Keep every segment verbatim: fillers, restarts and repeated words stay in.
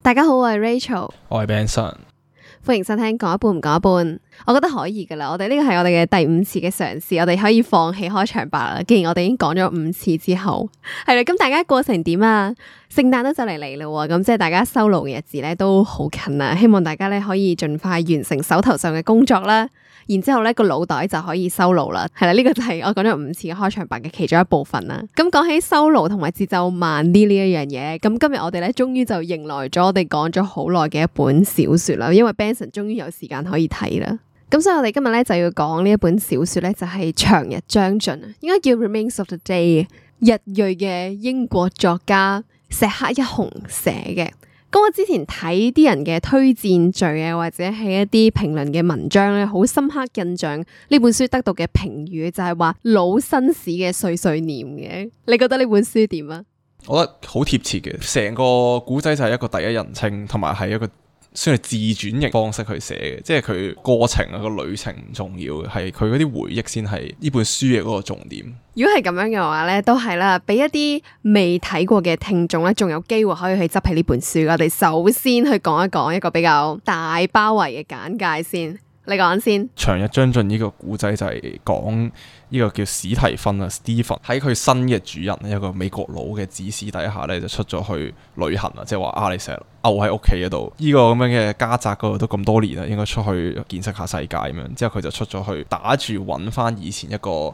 大家好，我係 Rachel，我係 Benson，歡迎收聽講一半唔講一半。我覺得可以噶啦，我哋呢個係我哋嘅第五次嘅嘗試，我哋可以放棄開場白啦。既然我哋已經講咗五次之後，係啦，咁大家過成點啊？聖誕都就嚟嚟啦，咁即係大家收爐嘅日子咧都好近啦。希望大家咧可以盡快完成手頭上嘅工作啦，然之後咧個腦袋就可以收爐啦。係啦，呢個就係我講咗五次嘅開場白嘅其中一部分啦。咁講起收爐同埋節奏慢啲呢一樣嘢，咁今日我哋咧終於就迎來咗我哋講咗好耐嘅一本小說啦，因為 Benson 終於有時間可以睇啦。咁所以我哋今日咧就要講呢一本小說咧，就係長日將盡，應該叫 Remains of the Day， 日裔嘅英國作家石黑一雄寫嘅。咁我之前睇啲人嘅推薦序啊，或者係一啲評論嘅文章咧，好深刻印象呢本書得到嘅評語就係話老紳士嘅碎碎念嘅。你覺得呢本書點啊？我覺得好貼切嘅，成個古仔就係一個第一人稱，同埋係一個算係自傳型方式去寫嘅，即係佢過程啊，個旅程唔重要嘅，係佢嗰啲回憶先係呢本書嘅嗰個重點。如果係咁樣嘅話咧，都係啦，俾一啲未睇過嘅聽眾咧，仲有機會可以去執起呢本書。我哋首先去講一講一個比較大包圍嘅簡介先。你講先。長日將盡呢個古仔就係講呢個叫史提芬啊 Stephen 喺佢新嘅主人一個美國佬嘅指使底下咧，就出咗去旅行啊，即係話啊，你成日漚喺屋企嗰度，呢個咁樣嘅家宅嗰度都咁多年啦，應該出去見識下世界咁樣。之後佢就出咗去打住揾翻以前一個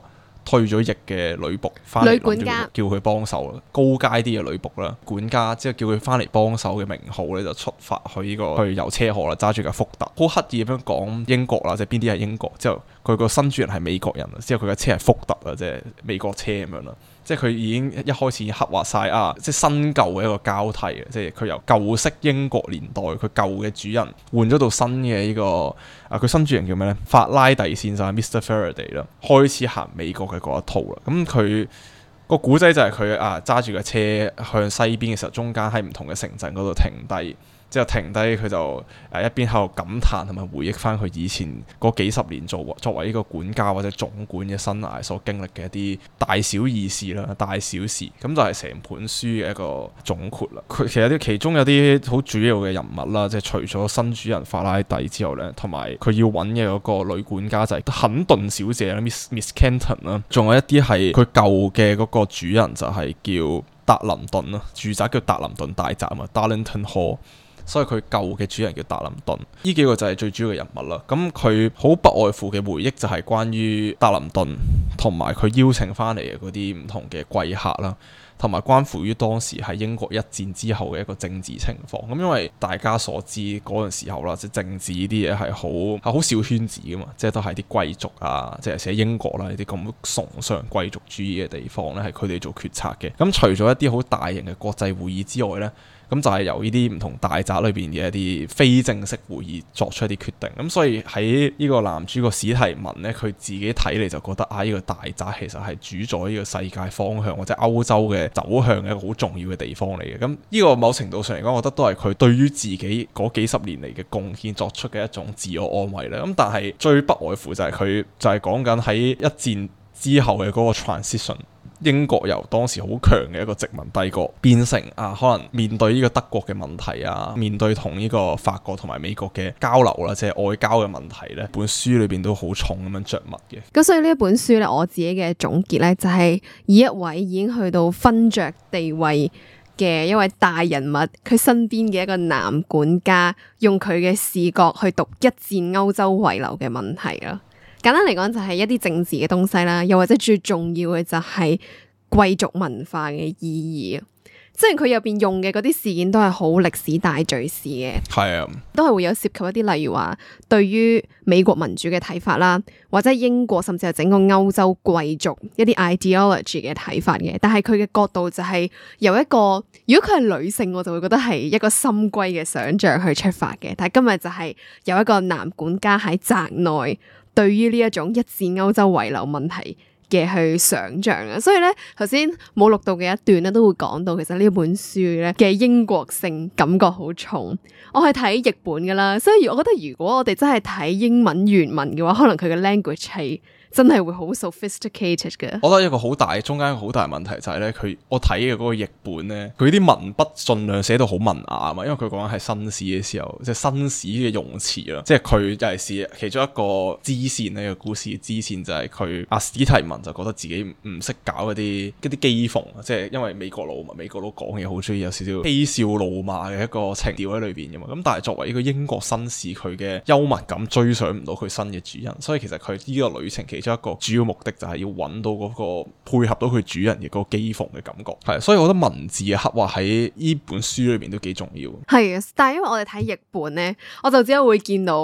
退咗役嘅女僕翻嚟，女管家叫佢幫手啦，高階啲嘅女僕啦，管家之後叫佢翻嚟幫手嘅名號咧，就出發去呢個去遊車河啦，揸住架福特，好刻意咁樣講英國啦，即係邊啲係英國，之後佢個新主人係美國人啦，之後佢嘅車係福特啊，即係美國車咁樣啦。即係佢已經一開始已經刻畫晒啊，即係新舊嘅一個交替嘅，即係佢由舊式英國年代佢舊嘅主人換咗到新嘅呢個啊，佢新主人叫咩咧？法拉第先生 Mister Faraday 啦，開始行美國嘅嗰一套啦。咁佢個古仔就係佢啊揸住架車向西邊嘅時候，中間喺唔同嘅城鎮嗰度停低。之後停低佢就誒一邊喺度感嘆同埋回憶翻佢以前嗰幾十年做作為呢個管家或者總管嘅生涯所經歷嘅一啲大小意事啦、大小事，咁就係成本書嘅一個總括啦。佢其實啲其中有啲好主要嘅人物啦，即係除咗新主人法拉第之後咧，同埋佢要揾嘅嗰個女管家就係肯頓小姐啦 ，Miss Miss Kenton 啦，仲有一啲係佢舊嘅嗰個主人就係叫達林頓啦，住宅叫達林頓大宅啊 Darlington Hall。所以佢舊嘅主人叫達林頓，呢幾個就係最主要嘅人物啦。咁佢好不外乎嘅回憶就係關於達林頓同埋佢邀請翻嚟嘅嗰啲唔同嘅貴客啦，同埋關乎於當時喺英國一戰之後嘅一個政治情況。咁因為大家所知嗰陣時候啦，即係政治呢啲嘢係好係好小圈子噶嘛，即係都係啲貴族啊，即係寫英國啦呢啲咁崇尚貴族主義嘅地方咧，係佢哋做決策嘅。咁除咗一啲好大型嘅國際會議之外咧，咁就係由呢啲唔同大宅裏邊嘅一啲非正式會議作出一啲決定。咁所以喺呢個男主角史提文咧，佢自己睇嚟就覺得啊，呢個大宅其實係主宰呢個世界方向或者歐洲嘅走向嘅一個好重要嘅地方嚟嘅。咁呢個某程度上嚟講，我覺得都係佢對於自己嗰幾十年嚟嘅貢獻作出嘅一種自我安慰啦。咁但係最不外乎就係佢就係講緊喺一戰之後嘅嗰個 transition。英國由當時好強嘅一個殖民帝國變成啊，可能面對呢個德國嘅問題啊，面對同呢個法國同埋美國嘅交流啦，即係外交嘅問題咧，本書裏邊都好重咁樣著墨嘅。咁所以呢一本書咧，我自己嘅總結咧，就係以一位已經去到勳爵地位嘅一位大人物，佢身邊嘅一個男管家，用佢嘅視角去讀一戰歐洲遺留嘅問題啦。簡單嚟講就係一啲政治嘅東西啦，又或者最重要嘅就係貴族文化嘅意義。即係佢入邊用嘅嗰啲事件都係好歷史大敘事嘅，係啊，都係會有涉及一啲例如話對於美國民主嘅睇法啦，或者英國甚至係整個歐洲貴族一啲 ideology 嘅睇法嘅。但係佢嘅角度就係由一個，如果佢係女性，我就會覺得係一個深閨嘅想像去出發嘅。但係今日就係有一個男管家喺宅內對於呢一種一戰歐洲遺留問題嘅去想像啊，所以咧頭先冇錄到嘅一段咧都會講到，其實呢本書咧嘅英國性感覺好重。我係睇譯本噶啦，所以我覺得如果我哋真係睇英文原文嘅話，可能佢嘅 language 係真係會好 sophisticated 嘅。我覺得一個好大中間一個好大問題就係咧，佢我睇嘅嗰個譯本咧，佢啲文筆盡量寫到好文雅啊嘛，因為佢講緊係新史嘅時候，即係新史嘅用詞啦，即係佢尤其是其中一個支線呢個故事嘅支線就係佢阿史提文就覺得自己唔識搞嗰啲嗰啲譏諷，即係因為美國佬嘛，美國佬講嘢好中意有少少嬉笑怒罵嘅一個情調喺裏邊嘅嘛，咁但係作為一個英國紳士，佢嘅幽默感追上唔到佢新嘅主人，所以其實佢呢個旅程其中一個主要目的就係要揾到嗰個配合到佢主人嘅嗰個譏諷嘅感覺，係，所以我覺得文字嘅刻畫喺呢本書裏邊都幾重要。係啊，但係因為我哋睇譯本咧，我就只係會見到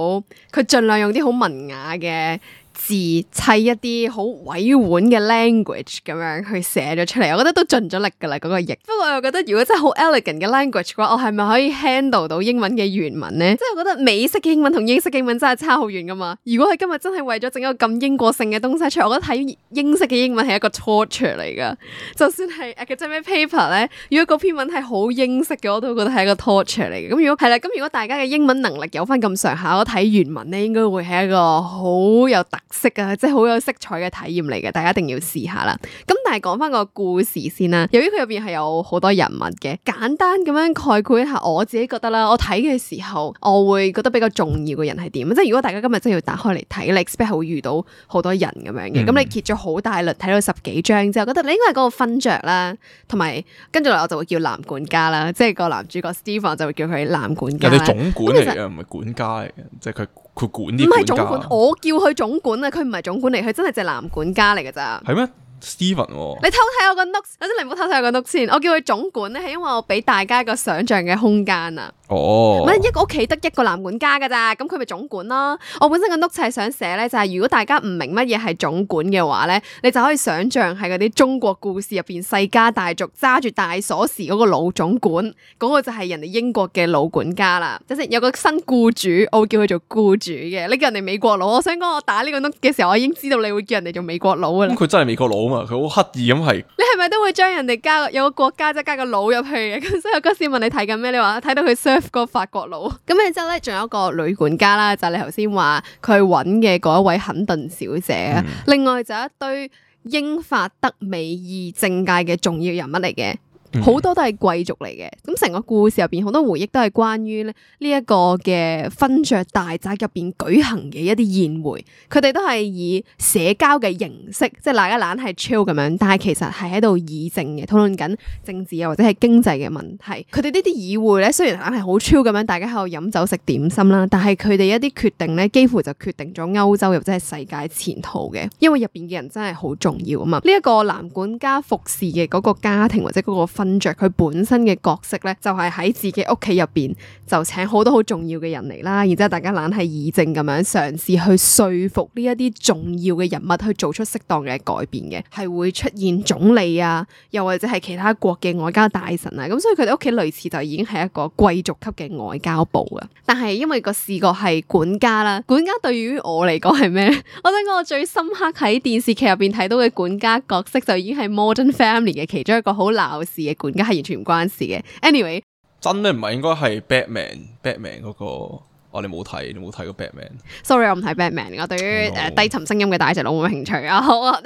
佢盡量用啲好文雅嘅字砌一啲好委婉嘅 language 咁樣去寫咗出嚟，我覺得都盡咗力噶啦嗰個譯。不過我又覺得如果真係好 elegant 嘅 language 嘅話，我係咪可以 handle 到英文嘅原文呢？即係我覺得美式嘅英文同英式嘅英文真係差好遠噶嘛。如果佢今日真係為咗整一個咁英國性嘅東西出嚟，我覺得睇英式嘅英文係一個 torture 嚟噶。就算係 academic paper 咧，如果嗰篇文係好英式嘅，我都覺得係一個 torture 嚟嘅。咁如果係啦，咁如果大家嘅英文能力有翻咁上下，我睇原文咧應該會係一個好有特色啊，即係好有色彩嘅體驗嚟嘅，大家一定要試下啦。咁但係講翻個故事先啦，由於佢入邊係有好多人物嘅，簡單咁樣概括一下，我自己覺得啦，我睇嘅時候我會覺得比較重要嘅人係點？即係如果大家今日真係要打開嚟睇，你 expect 係會遇到好多人咁樣嘅，咁、嗯、你揭咗好大輪睇到十幾章之後，覺得你應該係嗰個勳爵啦，同埋跟住嚟我就會叫男管家啦，即係個男主角 Stephen 就會叫佢男管家。人哋總管嚟嘅，唔係管家嚟嘅，即係佢。佢管啲管家，唔係總管，我叫佢總管啊！佢唔係總管嚟，佢真係隻男管家嚟㗎咋。係咩？Steven，哦、你偷睇我個 notes，或者你唔好偷睇我個 notes 先。我叫佢總管咧，係因為我俾大家一個想像嘅空間啊。哦，唔係一個屋企得一個男管家㗎咋，咁佢咪總管咯。我本身個 notes 係想寫咧，就係、是、如果大家唔明乜嘢係總管嘅話咧，你就可以想像係嗰啲中國故事入邊世家大族揸住大鎖匙嗰個老總管，嗰、那個就係人哋英國嘅老管家啦。即係有個新僱主，我會叫佢做僱主嘅。你叫人哋美國佬，我想講我打呢個 note 嘅時候，我已經知道你會叫人哋做美國佬㗎啦。咁佢真係美國佬啊嘛，佢好刻意。咁係，你係咪都會將人哋加有個國家即係加個佬入去嘅？咁所以我嗰時問你睇緊咩？你話睇到佢 serve 個法國佬。咁然之後咧，仲有一個女管家啦，就係、是、你頭先話佢揾嘅嗰一位肯頓小姐啊。嗯、另外就一堆英法德美意政界嘅重要人物嚟嘅。好多都係貴族嚟嘅，咁成個故事入邊好多回憶都係關於咧呢一個嘅勳爵大宅入邊舉行嘅一啲宴會，佢哋都係以社交嘅形式，即係大家懶係 chill 咁樣，但係其實係喺度議政嘅，討論緊政治啊或者係經濟嘅問題。佢哋呢啲議會咧雖然懶係好 chill 咁樣，大家喺度飲酒食點心啦，但係佢哋一啲決定咧幾乎就決定咗歐洲或者係世界前途嘅，因為入邊嘅人真係好重要啊嘛。呢、這、一個男管家服侍嘅嗰個家庭或者嗰個勳爵佢本身嘅角色咧，就係喺自己屋企入邊就請好多好重要嘅人嚟啦，然之後大家懶係議政咁樣嘗試去說服呢一啲重要嘅人物去做出適當嘅改變嘅，係會出現總理啊，又或者係其他國嘅外交大臣啊，咁所以佢哋屋企類似就已經係一個貴族級嘅外交部啊。但係因為個視角係管家啦，管家對於我嚟講係咩？我想講我最深刻喺電視劇入邊睇到嘅管家角色就已經係 Modern Family 嘅其中一個好鬧事嘅管家。完全唔關事嘅。Anyway， 真咩唔係應該係 Batman？Batman 嗰、那個我哋冇睇，你冇睇過 Batman？Sorry， 我唔睇 Batman。我對於誒、呃、低沉聲音嘅大隻佬冇興趣啊。好啊，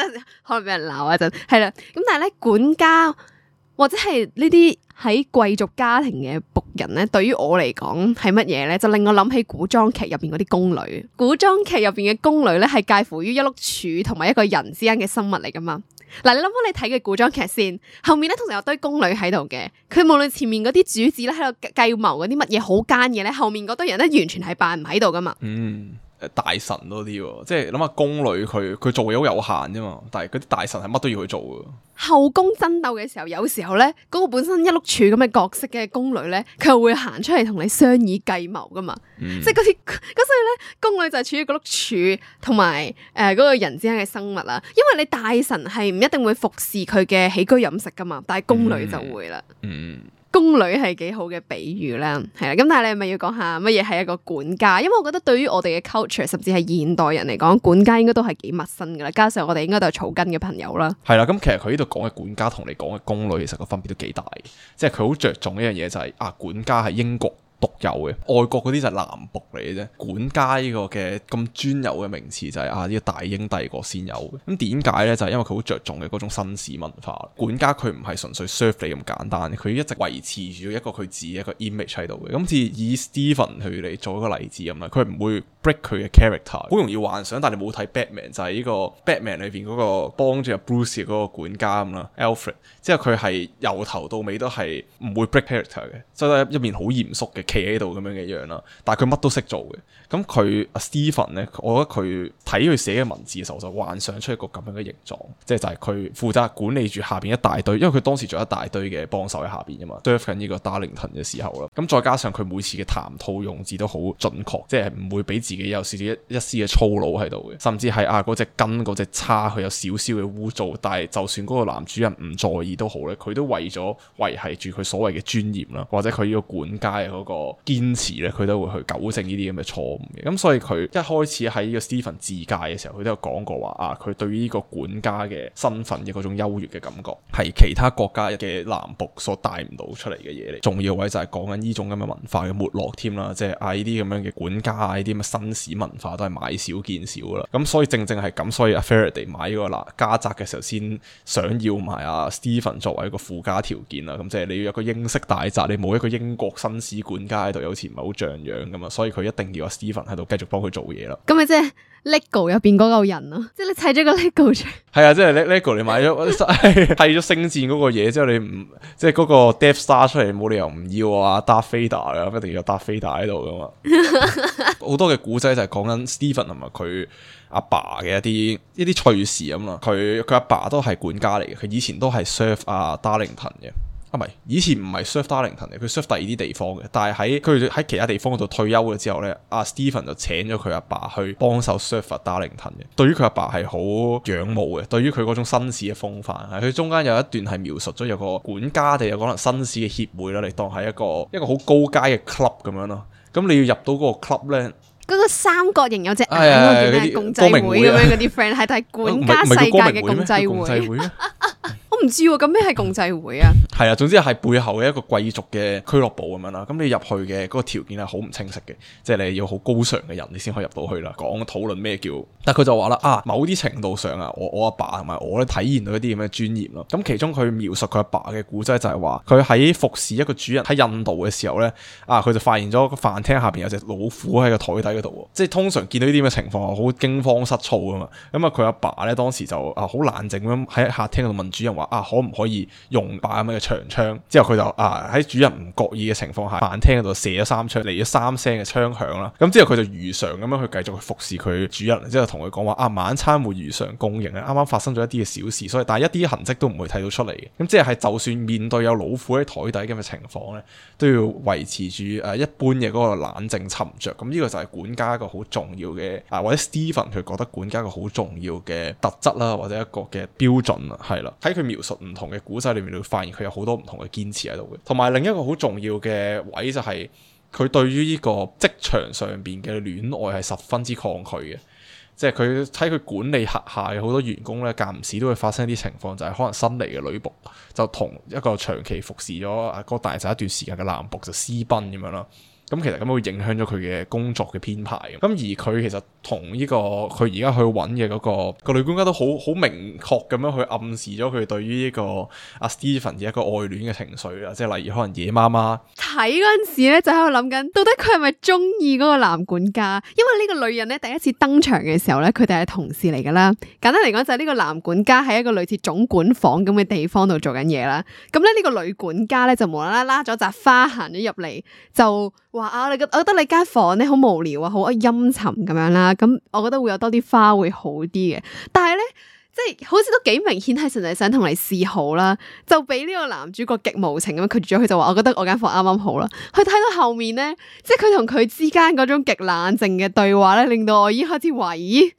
可能俾人鬧一陣。係啦，咁但係咧管家或者係呢啲喺貴族家庭嘅僕人咧，對於我嚟講係乜嘢咧？就令我諗起古裝劇入邊嗰啲宮女。古裝劇入邊嘅宮女咧，係介乎於一碌柱同埋一個人之間嘅生物嚟噶嘛。嗱，你諗下你睇嘅古裝劇先，後面咧通常有堆宮女喺度嘅，佢無論前面嗰啲主子咧喺度計謀嗰啲乜嘢好奸嘢咧，後面嗰堆人咧完全係扮唔喺度噶嘛。嗯，大臣多啲，即係諗下宮女佢佢做嘢好有限啫嘛，但係嗰啲大臣係乜都要去做噶。後宮爭鬥嘅時候，有時候咧嗰、那個本身一碌柱咁嘅角色嘅宮女咧，佢又會行出嚟同你商議計謀噶嘛。嗯、即係嗰啲咁，所以咧宮女就係處於嗰碌柱同埋誒嗰個人之間嘅生物啦。因為你大臣係唔一定會服侍佢嘅起居飲食噶嘛，但係宮女就會啦。嗯。嗯宮女係幾好嘅比喻啦，係啦，咁但係你係咪要講下乜嘢係一個管家？因為我覺得對於我哋嘅 culture， 甚至係現代人嚟講，管家應該都係幾陌生噶啦。加上我哋應該都係草根嘅朋友啦。係啦，咁其實佢呢度講嘅管家同你講嘅宮女，其實個分別都幾大。即係佢好着重一樣嘢就係、是、啊，管家係英國獨有嘅，外國嗰啲就係男僕嚟嘅啫。管家呢個嘅咁專有嘅名詞就係啊呢個大英帝國先有嘅。咁點解呢？就係因為佢好着重嘅嗰種紳士文化。管家佢唔係純粹 serve 你咁簡單，佢一直維持住一個佢自己一個 image 喺度嘅。咁似以 Stephen 去嚟做一個例子咁啦，佢唔會 break 佢嘅 character，好容易幻想。但係你冇睇 Batman 就係呢個 Batman 裏邊嗰個幫住阿 Bruce 嘅嗰個管家咁啦 ，Alfred，之後佢係由頭到尾都係唔會 break character 嘅，即係一面好嚴肅嘅企喺度咁樣嘅樣啦。但係佢乜都識做嘅。咁佢阿 Stephen 咧，我覺得佢睇佢寫嘅文字嘅時候，就幻想出一個咁樣嘅形狀，即係就係佢負責管理住下邊一大堆，因為佢當時仲有一大堆嘅幫手喺下邊㗎嘛 serve 緊呢個 Darlington 嘅時候啦。咁再加上佢每次嘅談吐用字都好準確，即係唔會俾自己有少少一一絲嘅粗魯喺度嘅，甚至係啊嗰隻根嗰隻叉佢有少少嘅污糟，但係就算嗰個男主人唔在意都好咧，佢都為咗維繫住佢所謂嘅尊嚴啦，或者佢呢個管家嘅嗰個堅持咧，佢都會去糾正呢啲咁嘅錯誤嘅。咁所以佢一開始喺呢個 Stephen 自介嘅時候，佢都有講過話啊，佢對於呢個管家嘅身份嘅嗰種優越嘅感覺，係其他國家嘅男僕所帶唔到出嚟嘅嘢嚟。重要位就係講緊呢種咁嘅文化嘅沒落添啦，即係啊呢啲咁樣嘅管家啊，呢啲咁嘅紳士文化都係買少見少啦。咁所以正正係咁，所以阿 Faraday 買呢個嗱家宅嘅時候，先想要埋阿 Stephen 作為一個附加條件啦。咁即係你要有個英式大宅，你冇一個英國紳士管家喺度，有時唔係好像樣噶嘛。所以佢一定要阿 Stephen 喺度繼續幫佢做嘢啦。咁咪即係 Lego 入邊嗰嚿人咯，即係你砌咗個 Lego 出嚟。係啊，即係 Lego 你買咗砌咗星戰嗰個嘢之後，你唔即係嗰個 Death Star 出嚟，冇理由唔要啊 Darth Vader 噶，一定要有 Darth Vader 喺度噶嘛。好多嘅古仔就係講緊 Stephen 同埋佢阿爸嘅一啲一啲趣事咁啦。佢佢阿爸都係管家嚟嘅，佢以前都係 serve 阿 Darlington 嘅。啊，唔係，以前唔係 serve Darlington 嘅，佢 serve 第二啲地方嘅。但係喺佢喺其他地方嗰度退休咗之後咧，阿 Stephen 就請咗佢阿爸去幫手 serve Darlington 嘅。對於佢阿爸係好仰慕嘅，對於佢嗰種紳士嘅風範，佢中間有一段係描述咗有個管家定有可能紳士嘅協會啦，你當係一個一個好高階嘅 club 咁樣咯。咁你要入到嗰個 club 咧。嗰個三角形有隻眼嗰啲咩共濟會咁樣嗰啲 friend 係睇管家世界嘅共濟會。我唔知喎，咁咩係共濟會啊？係啊，總之係背後嘅一個貴族嘅俱樂部咁樣啦。咁你入去嘅嗰個條件係好唔清晰嘅，即係你要好高尚嘅人你先可以入到去啦。講討論咩叫，但係佢就話啦啊，某啲程度上啊，我我阿爸同埋我咧體驗到一啲咁嘅尊嚴咯。咁其中佢描述佢阿爸嘅古仔就係話，佢喺服侍一個主人喺印度嘅時候咧，啊佢就發現咗個飯廳下邊有隻老虎喺個台底嗰度，即係通常見到呢啲咁嘅情況，好驚慌失措噶嘛。咁啊佢阿爸咧當時就啊好冷靜咁喺客廳度問主人話啊可唔可以用把咁嘅長槍？之後佢就啊喺主人唔覺意嘅情況下，飯廳嗰度射咗三槍，嚟咗三聲嘅槍響啦。咁之後佢就如常咁樣去繼續去服侍佢主人，之後同佢講話啊晚餐會如常供應啊，啱啱發生咗一啲嘅小事，所以但係一啲痕跡都唔會睇到出嚟嘅。咁即係就算面對有老虎喺台底咁嘅情況咧，都要維持住誒一般嘅嗰個冷靜沉着。咁呢個就係管家一個好重要嘅啊，或者 Stephen 佢覺得管家一個好重要嘅特質啦，或者一個嘅標準啦，係啦。喺佢描述唔同嘅古仔裏面，你會發現佢有好多唔同嘅堅持喺度嘅。同埋另一個好重要嘅位就係佢對於呢個職場上邊嘅戀愛係十分之抗拒嘅。即係佢睇佢管理轄下嘅好多員工咧，間唔時都會發生一啲情況，就係可能新嚟嘅女僕就同一個長期服侍咗啊嗰大仔一段時間嘅男僕就私奔咁樣啦。咁其實咁會影響咗佢嘅工作嘅編排嘅。咁而佢其實同呢、這個佢而家去揾嘅嗰個個女管家都好好明確咁樣去暗示咗佢對於呢個阿 Stephen 嘅一個愛戀嘅情緒啦。即係例如可能夜媽媽睇嗰陣時咧，就喺度諗緊，到底佢係咪中意嗰個男管家？因為呢個女人咧第一次登場嘅時候咧，佢哋係同事嚟噶啦。簡單嚟講就係呢個男管家喺一個類似總管房咁嘅地方度做緊嘢啦。咁咧呢個女管家咧就無啦啦拉咗扎花行咗入嚟就。話啊，你覺我覺得你間房咧好無聊啊，好陰沉咁樣啦。咁我覺得會有多啲花會好啲嘅。但係咧，即係好似都幾明顯係純粹想同你示好啦，就俾呢個男主角極無情咁樣拒絕咗佢，就話我覺得我間房啱啱好啦。佢睇到後面咧，即係佢同佢之間嗰種極冷靜嘅對話咧，令到我已經開始懷疑。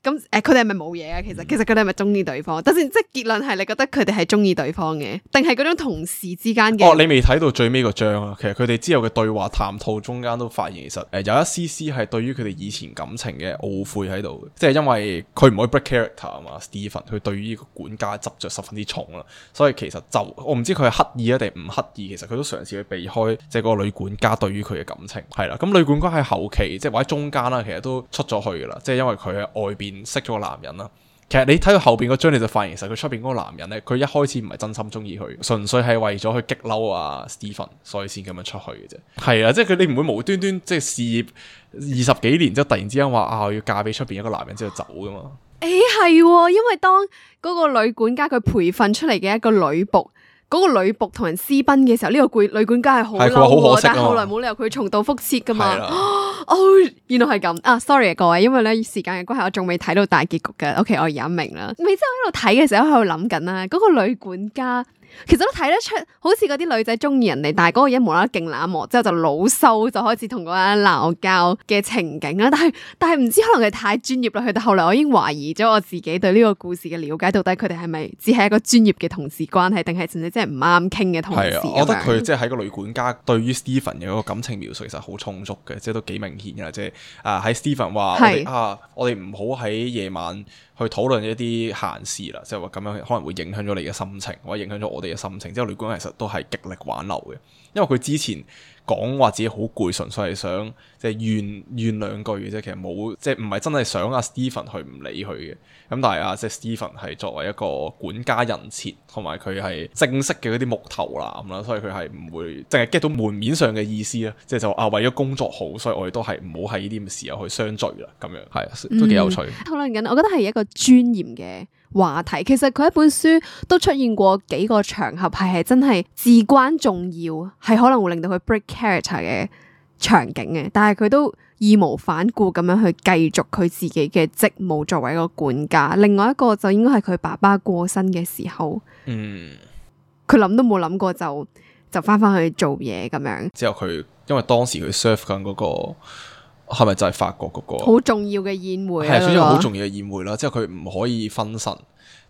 咁誒佢哋係咪冇嘢啊？其實其實佢哋係咪中意對方？等先，即係結論係你覺得佢哋係中意對方嘅，定係嗰種同事之間嘅？哦，你未睇到最尾個章啊！其實佢哋之後嘅對話談吐中間都發現，其實誒、呃、有一絲絲係對於佢哋以前感情嘅懊悔喺度，即係因為佢唔可以 break character 啊嘛。Stephen 佢對於呢個管家執着十分之重啦，所以其實就我唔知佢係刻意啊定唔刻意，其實佢都嘗試去避開即係嗰個女管家對於佢嘅感情係啦。咁女管家喺後期即係或者中間啦，其實都出咗去噶啦，即係因為佢喺外邊識咗個男人啦。其實你睇到後邊嗰張你就發現，其實佢出邊嗰個男人咧，佢一開始唔係真心中意佢，純粹係為咗去激嬲啊 Stephen，所以先咁樣出去嘅啫。係啊，即係佢你唔會無端端即係事業二十幾年之後突然之間話啊我要嫁俾出邊一個男人之後走噶嘛？誒係，因為當嗰個女管家佢培訓出嚟嘅一個女僕。嗰個女僕同人私奔嘅時候，呢、這個女管家係好嬲，但係後來冇理由佢重蹈覆轍噶嘛。哦，原來係咁啊 ！sorry 啊各位，因為咧時間嘅關係，我仲未睇到大結局嘅。OK，我而家明啦。未之後喺度睇嘅時候喺度諗緊啦，嗰、那個女管家。其實都睇得出，好似嗰啲女仔中意人哋，但係嗰個人無啦啦勁冷漠，之後就老羞，就開始同嗰個人鬧交嘅情景啦。但係但係唔知可能佢太專業啦，去到後來我已經懷疑咗我自己對呢個故事嘅了解，到底佢哋係咪只係一個專業嘅同事關係，定係純粹真係唔啱傾嘅同事？係啊，我覺得佢即係喺個女管家對於 Stephen 嘅嗰個感情描述其實好充足嘅，即係都幾明顯嘅，即係啊喺 Stephen 話我哋啊，我哋唔好喺夜晚去討論一啲閒事啦，即係話咁樣可能會影響咗你嘅心情，或者影響咗我哋嘅心情。之後女管家其實都係極力挽留嘅，因為佢之前講話自己好攰，純粹係想即係怨怨兩句嘅啫，其實冇即係唔係真係想阿 Stephen 去唔理佢嘅。咁但係啊，即係 Stephen 係作為一個管家人設，同埋佢係正式嘅嗰啲木頭男啦，所以佢係唔會淨係 get 到門面上嘅意思啦，即係就啊為咗工作好，所以我哋都係唔好喺呢啲咁嘅時候去相聚啦，咁樣係都幾有趣。討論緊，我覺得係一個尊嚴嘅話題。其實佢一本書都出現過幾個場合，係係真係至關重要，係可能會令到佢 break character 嘅場景嘅，但係佢都義無反顧咁樣去繼續佢自己嘅職務作為一個管家。另外一個就應該係佢爸爸過身嘅時候，嗯，佢諗都冇諗過就就翻翻去做嘢咁樣。之後佢因為當時佢 serve 緊嗰個係咪就係法國嗰個好重要嘅宴會？係，總之好重要嘅宴會啦。之後佢唔可以分神。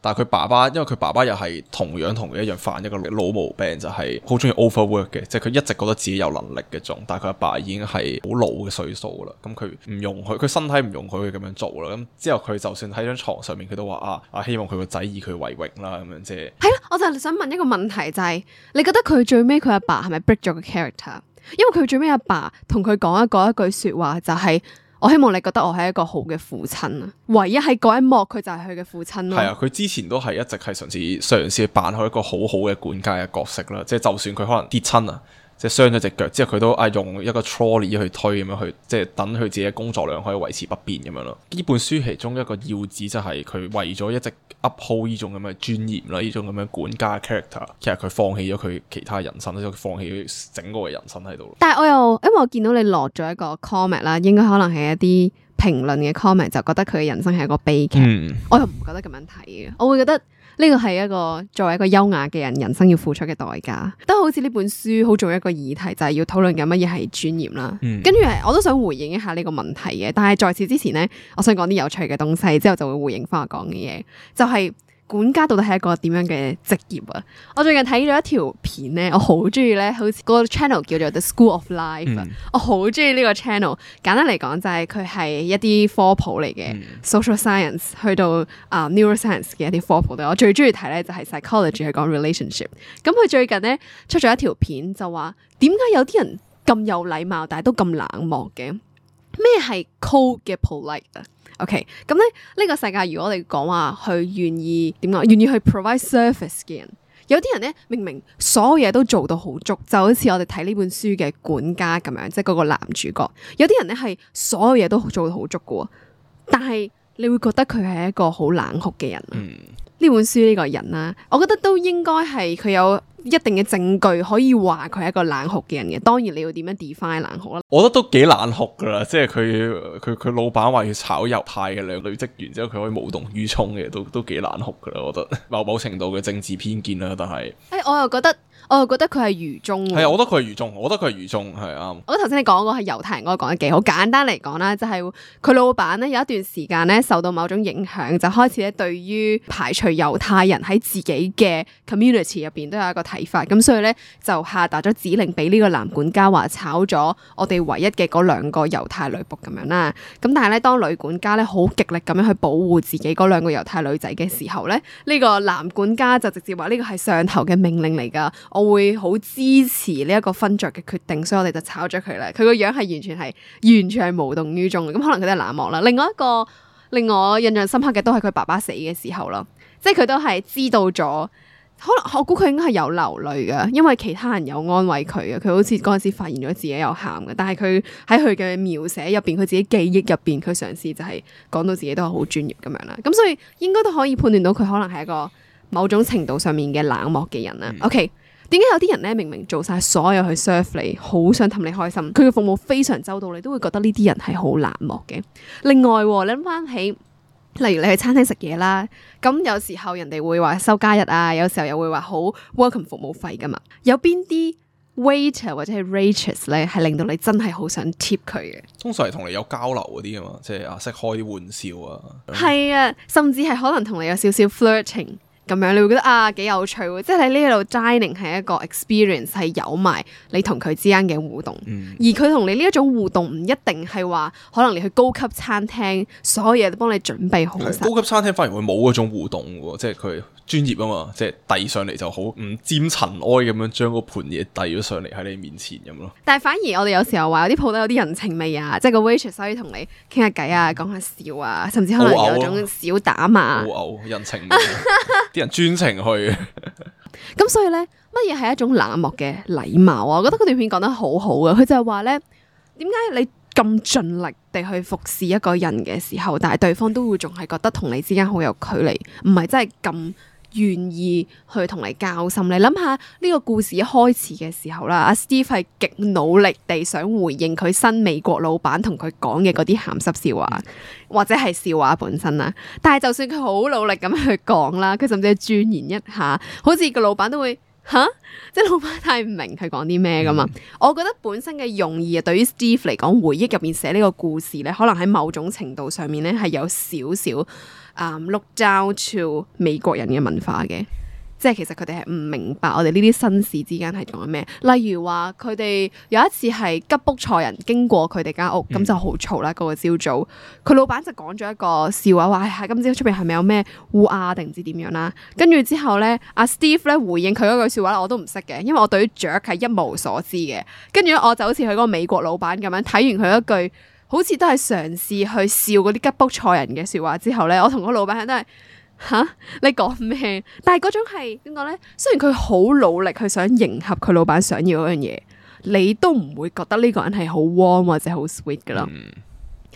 但係佢爸爸，因為佢爸爸又係同樣同佢一樣犯一個老毛病，就係好中意 overwork 嘅，即係佢一直覺得自己有能力嘅種，但係佢阿爸已經係好老嘅歲數啦。咁佢唔容許，佢身體唔容許佢咁樣做啦。咁之後佢就算喺張床上面，佢都話啊啊，希望佢個仔以佢為榮啦，咁樣即係。係咯，我就係想問一個問題，就係、是、你覺得佢最尾佢阿爸係咪 break 咗個 character？因為佢最尾阿爸同佢講一個一句說話，就係、是。我希望你覺得我係一個好嘅父親啊！唯一喺嗰一幕，佢就係佢嘅父親咯。係啊，佢之前都係一直係嘗試嘗試扮好一個好好嘅管家嘅角色啦。即係就算佢可能跌親啊，即係傷咗隻腳之後，佢都啊用一個 trolley 去推咁樣去，即係等佢自己嘅工作量可以維持不變咁樣咯。呢本書其中一個要旨就係佢為咗一直 uphold 呢種咁嘅尊嚴啦，呢種咁樣管家嘅 character，其實佢放棄咗佢其他人生，即係佢放棄咗整個嘅人生喺度。但係我又因為我見到你落咗一個 comment 啦，應該可能係一啲評論嘅 comment，就覺得佢嘅人生係一個悲劇。嗯、我又唔覺得咁樣睇嘅，我會覺得呢個係一個作為一個優雅嘅人，人生要付出嘅代價。都好似呢本書好重要一個議題，就係、是、要討論緊乜嘢係尊嚴啦。嗯、跟住我都想回應一下呢個問題嘅，但係在此之前呢，我想講啲有趣嘅東西，之後就會回應翻我講嘅嘢，就係、是。管家到底係一個點樣嘅職業啊？我最近睇咗一條片咧，我好中意咧，好似個 channel 叫做 The School of Life 啊、嗯，我好中意呢個 channel。簡單嚟講就係佢係一啲科普嚟嘅、嗯、social science 去到啊、uh, neuroscience 嘅一啲科普。我最中意睇咧就係 psychology 係講 relationship。咁佢最近咧出咗一條片就話，點解有啲人咁有禮貌，但係都咁冷漠嘅？咩係 cold 嘅 polite 啊？OK，咁咧呢個世界，如果我哋講話去願意點講，願意去 provide service 嘅人，有啲人咧明明所有嘢都做到好足，就好似我哋睇呢本書嘅管家咁樣，即係嗰個男主角。有啲人咧係所有嘢都做到好足嘅，但係你會覺得佢係一個好冷酷嘅人。嗯，呢本書呢個人啦，我覺得都應該係佢有一定嘅證據可以話佢係一個冷酷嘅人嘅。當然你要點樣 define 冷酷啦？我覺得都幾冷酷噶啦，即係佢佢佢老闆話要炒猶太嘅兩個女職員，之後佢可以無動於衷嘅，都都幾冷酷噶啦。我覺得某某程度嘅政治偏見啦，但係誒、欸，我又覺得我又覺得佢係愚忠喎。係啊，我覺得佢係愚忠，我覺得佢係愚忠，係啱。我覺得頭先你講嗰個係猶太人嗰個講得幾好。簡單嚟講啦，就係佢老闆咧有一段時間咧受到某種影響，就開始咧對於排除猶太人喺自己嘅 community 入邊都有一個睇法。咁所以咧就下達咗指令俾呢個男管家話炒咗我哋唯一嘅嗰兩個猶太女僕咁樣啦。咁但係咧當女管家咧好極力咁樣去保護自己嗰兩個猶太女仔嘅時候咧，呢個男管家就直接話呢個係上頭嘅命令嚟㗎，我會好支持呢一個分著嘅決定，所以我哋就炒咗佢啦。佢個樣係完全係完全係無動於衷嘅，咁可能佢都係冷漠啦。另外一個令我印象深刻嘅都係佢爸爸死嘅時候咯，即係佢都係知道咗。可能我估佢應該係有流淚㗎，因為其他人有安慰佢嘅，佢好似嗰陣時發現咗自己有喊嘅，但係佢喺佢嘅描寫入邊，佢自己記憶入邊，佢嘗試就係講到自己都係好專業咁樣啦。咁所以應該都可以判斷到佢可能係一個某種程度上面嘅冷漠嘅人啦。嗯、OK，點解有啲人咧明明做晒所有去 serve 你，好想氹你開心，佢嘅服務非常周到，你都會覺得呢啲人係好冷漠嘅。另外，你諗翻起。例如你去餐廳食嘢啦，咁有時候人哋會話收加一啊，有時候又會話好 welcome 服務費噶嘛。有邊啲 waiter 或者係 waitress 咧，係令到你真係好想 tip 佢嘅？通常係同你有交流嗰啲啊嘛，即係啊識開啲玩笑啊。係啊，甚至係可能同你有少少 flirting。咁樣你會覺得啊幾有趣喎，即係喺呢度 dining 係一個 experience， 係有埋你同佢之間嘅互動，嗯、而佢同你呢一種互動唔一定係話可能你去高級餐廳所有嘢都幫你準備好晒。高級餐廳反而會冇嗰種互動喎，即係佢專業啊嘛，即係遞上嚟就好唔沾塵埃咁樣將嗰盤嘢遞咗上嚟喺你面前咁咯。但係反而我哋有時候話有啲鋪頭有啲人情味啊，即係個 waitress 可以同你傾下偈啊，講下笑啊，甚至可能有種小打罵。好嘔人情味。啲人專程去，咁所以咧，乜嘢係一種冷漠嘅禮貌啊？我覺得嗰段片講得好好啊！佢就係話咧，點解你咁盡力地去服侍一個人嘅時候，但係對方都會仲係覺得同你之間好有距離，唔係真係咁願意去同你交心。你諗下呢個故事一開始嘅時候啦，阿 Steve 係極努力地想回應佢新美國老闆同佢講嘅嗰啲鹹濕笑話，或者係笑話本身啦。但係就算佢好努力咁去講啦，佢甚至係鑽研一下，好似個老闆都會吓，即係老闆太唔明佢講啲咩噶嘛。嗯、我覺得本身嘅用意啊，對於 Steve 嚟講，回憶入面寫呢個故事咧，可能喺某種程度上面咧係有少少。Um, look down to 美國人嘅文化嘅，即係其實佢哋係唔明白我哋呢啲紳士之間係講緊咩。例如話佢哋有一次係吉卜賽人經過佢哋間屋，咁、嗯、就好嘈啦。嗰、那個朝早，佢老闆就講咗一個笑話，話係今朝出邊係咪有咩烏鴉定唔知點樣啦？跟住之後咧，阿 Steve 咧回應佢嗰句笑話，我都唔識嘅，因為我對於雀係一無所知嘅。跟住我就好似佢嗰個美國老闆咁樣，睇完佢一句。好似都係嘗試去笑嗰啲吉卜賽人嘅説話之後咧，我同個老闆都係吓，你講咩？但係嗰種係點講咧？雖然佢好努力去想迎合佢老闆想要嗰樣嘢，你都唔會覺得呢個人係好 warm 或者好 sweet 噶啦。嗯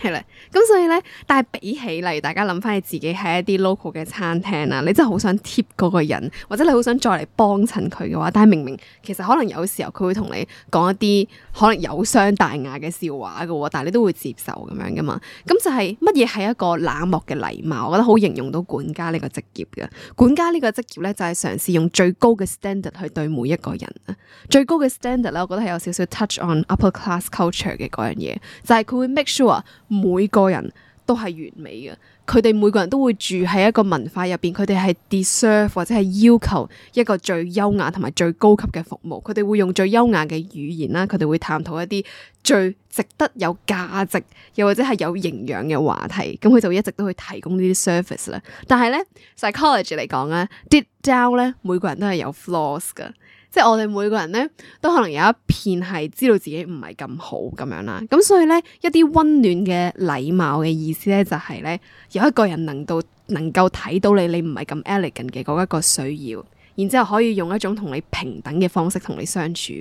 係啦，咁所以咧，但係比起例如大家諗翻你自己喺一啲 local 嘅餐廳啊，你真係好想 tip 嗰個人，或者你好想再嚟幫襯佢嘅話，但係明明其實可能有時候佢會同你講一啲可能有傷大雅嘅笑話嘅，但係你都會接受咁樣噶嘛。咁就係乜嘢係一個冷漠嘅禮貌？我覺得好形容到管家呢個職業嘅。管家呢個職業咧就係嘗試用最高嘅 standard 去對每一個人啊。最高嘅 standard 咧，我覺得係有少少 touch on upper class culture 嘅嗰樣嘢，就係佢會 make sure。每個人都係完美嘅，佢哋每個人都會住喺一個文化入邊，佢哋係 deserve 或者係要求一個最優雅同埋最高級嘅服務，佢哋會用最優雅嘅語言啦，佢哋會探討一啲最值得有價值又或者係有營養嘅話題，咁佢就會一直都去提供呢啲 service 啦。但係咧 psychology 嚟講咧 deep down 咧，每個人都係有 flaws 噶。即係我哋每個人咧，都可能有一片係知道自己唔係咁好咁樣啦。咁所以咧，一啲溫暖嘅禮貌嘅意思咧，就係咧，有一個人能到能夠睇到你，你唔係咁 elegant 嘅嗰一個需要，然之後可以用一種同你平等嘅方式同你相處。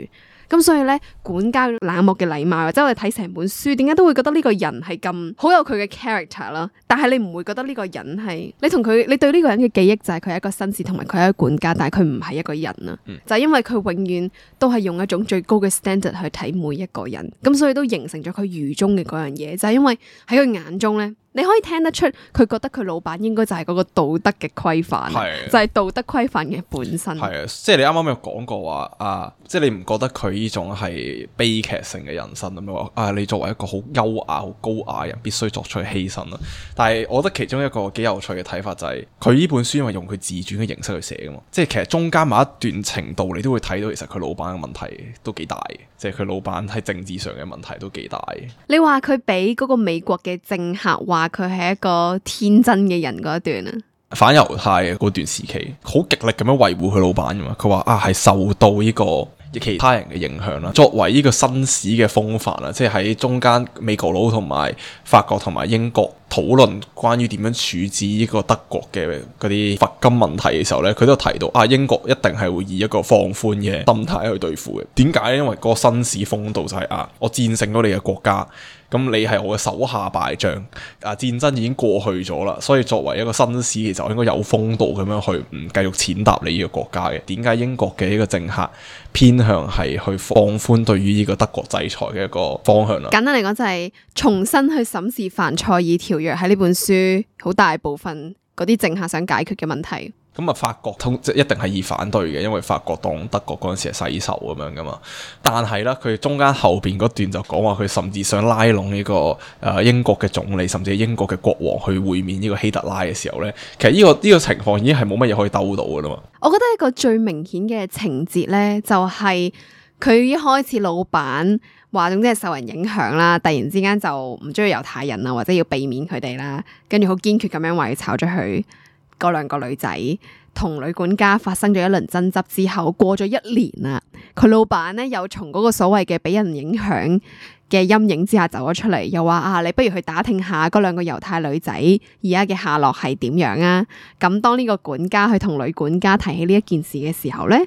咁所以咧，管家冷漠嘅禮貌，或者我哋睇成本書，點解都會覺得呢個人係咁好有佢嘅 character 啦？但係你唔會覺得呢個人係你同佢，你對呢個人嘅記憶就係佢係一個紳士，同埋佢係一個管家，但係佢唔係一個人啊！嗯、就係因為佢永遠都係用一種最高嘅 standard 去睇每一個人，咁所以都形成咗佢愚忠嘅嗰樣嘢。就係因為喺佢眼中咧，你可以聽得出佢覺得佢老闆應該就係嗰個道德嘅規範，係就係道德規範嘅本身。係啊，即係你啱啱有講過話啊，即係你唔覺得佢呢種係悲劇性嘅人生咁樣話啊？你作為一個好優雅、好高雅嘅人，必須作出犧牲啦。但係我覺得其中一個幾有趣嘅睇法就係佢呢本書因為用佢自傳嘅形式去寫噶嘛，即係其實中間某一段程度你都會睇到其實佢老闆嘅問題都幾大嘅，即係佢老闆喺政治上嘅問題都幾大嘅。你話佢俾嗰個美國嘅政客話佢係一個天真嘅人嗰一段啊，反猶太嘅嗰段時期，好極力咁樣維護佢老闆噶嘛。佢話啊，係受到呢個其他人嘅影響啦。作為呢個紳士嘅風範啦，即係喺中間美國佬同埋法國同埋英國討論關於點樣處置呢個德國嘅嗰啲罰金問題嘅時候呢，佢都提到啊，英國一定係會以一個放寬嘅心態去對付嘅。點解呢？因為嗰個紳士風度就係啊，我戰勝咗你嘅國家。咁你係我嘅手下敗將，啊戰爭已經過去咗啦，所以作為一個紳士，其實我應該有風度咁樣去唔繼續踐踏你呢個國家嘅。點解英國嘅呢個政客偏向係去放寬對於呢個德國制裁嘅一個方向啦？簡單嚟講就係重新去審視凡賽爾條約喺呢本書好大部分嗰啲政客想解決嘅問題。咁啊，法國通即一定係以反對嘅，因為法國當德國嗰陣時係世仇咁樣噶嘛。但係咧，佢中間後邊嗰段就講話，佢甚至想拉攏呢、這個誒、呃、英國嘅總理，甚至係英國嘅國王去會面呢個希特拉嘅時候咧，其實呢、這個呢、這個情況已經係冇乜嘢可以兜到噶啦嘛。我覺得一個最明顯嘅情節咧，就係、是、佢一開始老闆話總之係受人影響啦，突然之間就唔中意猶太人啊，或者要避免佢哋啦，跟住好堅決咁樣話要炒咗佢。嗰兩個女仔同女管家發生咗一輪爭執之後，過咗一年啦，佢老闆咧又從嗰個所謂嘅俾人影響嘅陰影之下走咗出嚟，又話啊，你不如去打聽下嗰兩個猶太女仔而家嘅下落係點樣啊？咁當呢個管家去同女管家提起呢一件事嘅時候咧，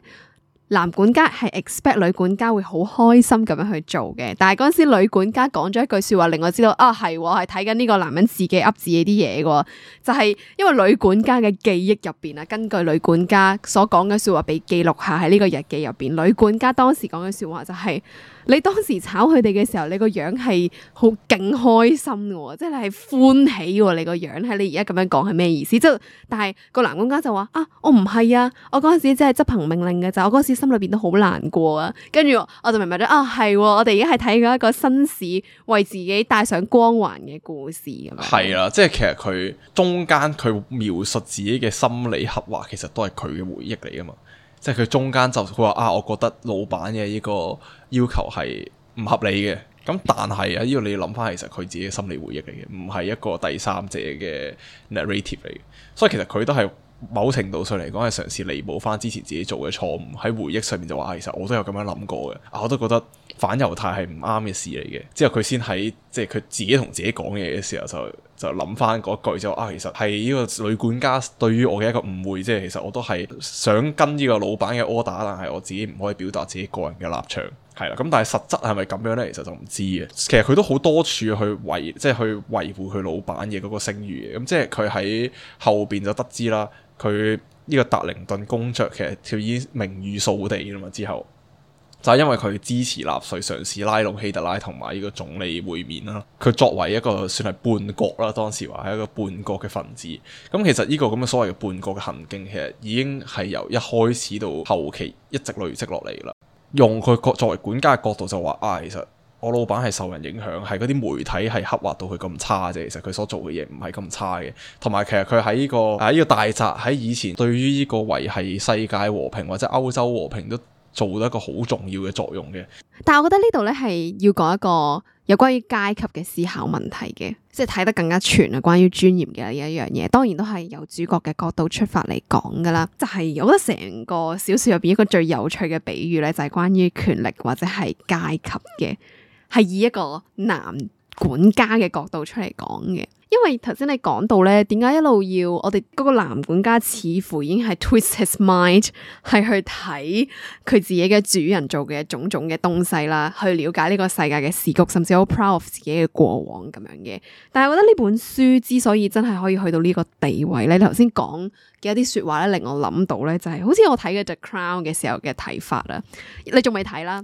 男管家係 expect 女管家會好開心咁樣去做嘅，但係嗰陣時女管家講咗一句說話令我知道啊，係係睇緊呢個男人自己噏自己啲嘢嘅，就係、是、因為女管家嘅記憶入邊啊，根據女管家所講嘅說話被記錄下喺呢個日記入邊，女管家當時講嘅說話就係、是。你當時炒佢哋嘅時候，你個樣係好勁開心嘅，即係你係歡喜喎。你個樣係你而家咁樣講係咩意思？即係但係個男管家就話啊，我唔係啊，我嗰陣時真係執行命令嘅咋，我嗰陣時心裏邊都好難過啊。跟住我就明白咗啊，係我哋而家係睇緊一個紳士為自己帶上光環嘅故事咁樣。係啦，即係其實佢中間佢描述自己嘅心理刻畫，其實都係佢嘅回憶嚟噶嘛。即係佢中間就佢話啊，我覺得老闆嘅呢個要求係唔合理嘅。咁但係啊，呢個你要諗翻，其實佢自己嘅心理回憶嚟嘅，唔係一個第三者嘅 narrative 嚟嘅。所以其實佢都係某程度上嚟講係嘗試彌補翻之前自己做嘅錯誤。喺回憶上面就話，其實我都有咁樣諗過嘅。啊，我都覺得反猶太係唔啱嘅事嚟嘅。之後佢先喺即係佢自己同自己講嘢嘅時候就。就諗翻嗰句就啊，其實係呢個女管家對於我嘅一個誤會，即係其實我都係想跟呢個老闆嘅 order，但係我自己唔可以表達自己個人嘅立場，係啦。咁但係實質係咪咁樣呢？其實就唔知嘅。其實佢都好多處去維，即係去維護佢老闆嘅嗰個聲譽嘅。咁即係佢喺後邊就得知啦，佢呢個達靈頓公爵其實佢已經名譽掃地啦嘛。之後就係因為佢支持納粹，嘗試拉攏希特拉同埋呢個總理會面啦。佢作為一個算係叛國啦，當時話係一個叛國嘅分子。咁其實呢個咁嘅所謂嘅叛國嘅行徑，其實已經係由一開始到後期一直累積落嚟啦。用佢作為管家嘅角度就話啊，其實我老闆係受人影響，係嗰啲媒體係刻畫到佢咁差啫。其實佢所做嘅嘢唔係咁差嘅。同埋其實佢喺呢個喺呢個大宅喺以前對於呢個維繫世界和平或者歐洲和平都做到一個好重要嘅作用嘅。但係我覺得呢度咧係要講一個有關於階級嘅思考問題嘅，即係睇得更加全啊，關於尊嚴嘅呢一樣嘢，當然都係由主角嘅角度出發嚟講噶啦。就係、是、我覺得成個小說入邊一個最有趣嘅比喻咧，就係關於權力或者係階級嘅，係以一個男管家嘅角度出嚟講嘅。因為頭先你講到咧，點解一路要我哋嗰個男管家似乎已經係 twist his mind， 係去睇佢自己嘅主人做嘅種種嘅東西啦，去了解呢個世界嘅時局，甚至好 proud of 自己嘅過往咁樣嘅。但係我覺得呢本書之所以真係可以去到呢個地位咧，你頭先講嘅一啲說話咧，令我諗到咧，就係好似我睇嘅 The Crown 嘅時候嘅睇法啦。你仲未睇啦？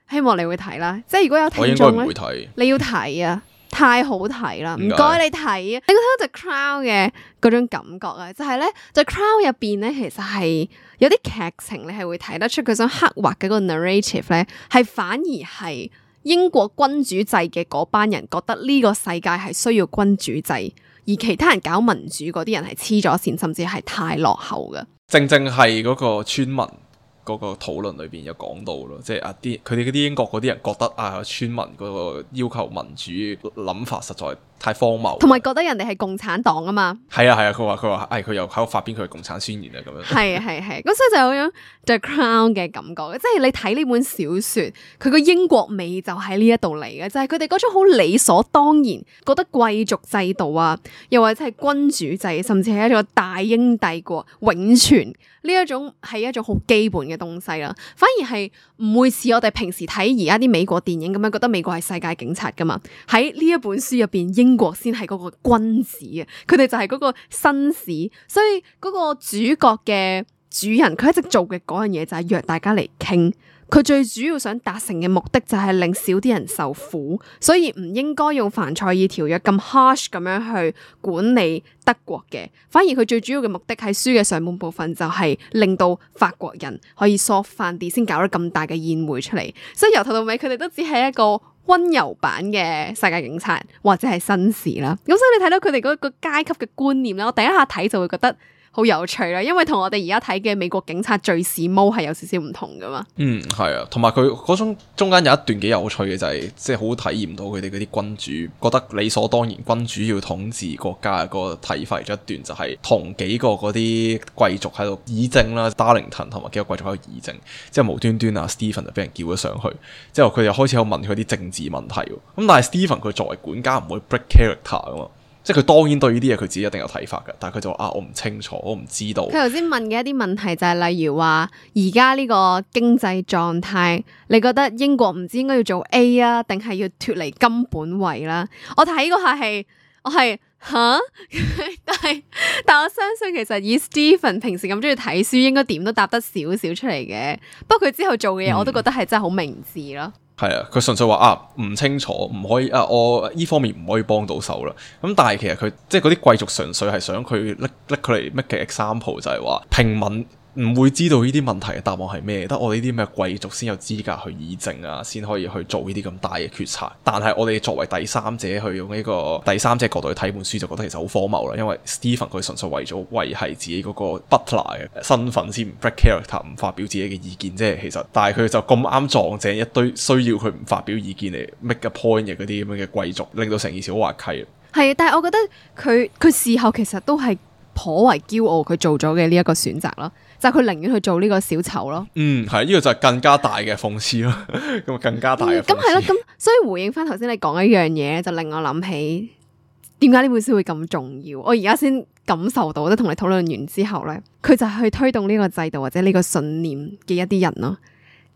希望你會睇啦。即係如果有聽眾咧，你要睇啊！太好睇啦，唔點解該你睇啊！你覺得 The Crown 嘅嗰種感覺啊，就係咧 The Crown 入邊咧，其實係有啲劇情你係會睇得出佢想刻畫嘅嗰個 narrative 咧，係反而係英國君主制嘅嗰班人覺得呢個世界係需要君主制，而其他人搞民主嗰啲人係黐咗線，甚至係太落後嘅。正正係嗰個村民嗰個討論裏邊有講到咯，即係啊啲佢哋嗰啲英國嗰啲人覺得啊村民嗰個要求民主諗法實在太荒謬，同埋覺得人哋係共產黨啊嘛。係啊係啊，佢話佢話誒佢又喺度發表佢嘅共產宣言啊咁樣。係係係，咁所以就有種 The Crown 嘅感覺，即係你睇呢本小說，佢個英國味就喺呢一度嚟嘅，就係佢哋嗰種好理所當然，覺得貴族制度啊，又或者係君主制，甚至係一個大英帝國永存呢一種係一種好基本嘅東西啦，反而係唔會似我哋平時睇而家啲美國電影咁樣，覺得美國係世界警察噶嘛。喺呢一本書入邊，英國先係嗰個君子啊，佢哋就係嗰個紳士，所以嗰個主角嘅主人，佢一直做嘅嗰樣嘢就係約大家嚟傾。佢最主要想達成嘅目的就係令少啲人受苦，所以唔應該用凡賽爾條約咁 harsh 咁樣去管理德國嘅，反而佢最主要嘅目的喺書嘅上半部分就係令到法國人可以 soft 翻啲，先搞咗咁大嘅宴會出嚟。所以由頭到尾佢哋都只係一個溫柔版嘅世界警察或者係紳士啦。咁所以你睇到佢哋嗰個階級嘅觀念咧，我第一下睇就會覺得好有趣啦，因為同我哋而家睇嘅美國警察敘事毛係有少少唔同噶嘛。嗯，係啊，同埋佢嗰種中間有一段幾有趣嘅就係、是，即係好體驗到佢哋嗰啲君主覺得理所當然君主要統治國家嘅嗰個睇法。咗一段就係同幾個嗰啲貴族喺度議政啦 ，Darlington 同埋幾個貴族喺度議政，之後無端端啊 Stephen 就俾人叫咗上去，之後佢又開始有問佢啲政治問題。咁但係 Stephen 佢作為管家唔會 break character 噶嘛。即係佢當然對呢啲嘢佢自己一定有睇法嘅，但係佢就話啊，我唔清楚，我唔知道。佢頭先問嘅一啲問題就係例如話，而家呢個經濟狀態，你覺得英國唔知應該要做 A 啊，定係要脫離金本位啦？我睇嗰下係，我係吓，但係但我相信其實以 Stephen 平時咁中意睇書，應該點都答得少少出嚟嘅。不過佢之後做嘅嘢，我都覺得係真係好明智咯。係啊，佢純粹話啊唔清楚，唔可以啊，我呢方面唔可以幫到手啦。咁但係其實佢即係嗰啲貴族純粹係想佢拎拎佢嚟 make 嘅 example 就係話平民唔會知道呢啲問題嘅答案係咩，得我哋呢啲咩貴族先有資格去議政啊，先可以去做呢啲咁大嘅決策。但係我哋作為第三者去用呢個第三者角度去睇本書，就覺得其實好荒謬啦。因為 Stephen 佢純粹為咗維繫自己嗰個 butler 嘅身份，先唔 break character，唔發表自己嘅意見。即係其實，但係佢就咁啱撞正一堆需要佢唔發表意見嚟 make a point 嘅嗰啲咁樣嘅貴族，令到成件事好滑稽。係，但係我覺得佢佢事後其實都係頗為驕傲，佢做咗嘅呢一個選擇咯。就係佢寧願去做呢個小丑咯。嗯，係呢、這個就係更加大嘅諷刺咯。咁更加大嘅諷刺。咁係咯，咁所以回應翻頭先你講一樣嘢，就令我諗起點解呢本書會咁重要。我而家先感受到，即係同你討論完之後咧，佢就係去推動呢個制度或者呢個信念嘅一啲人咯。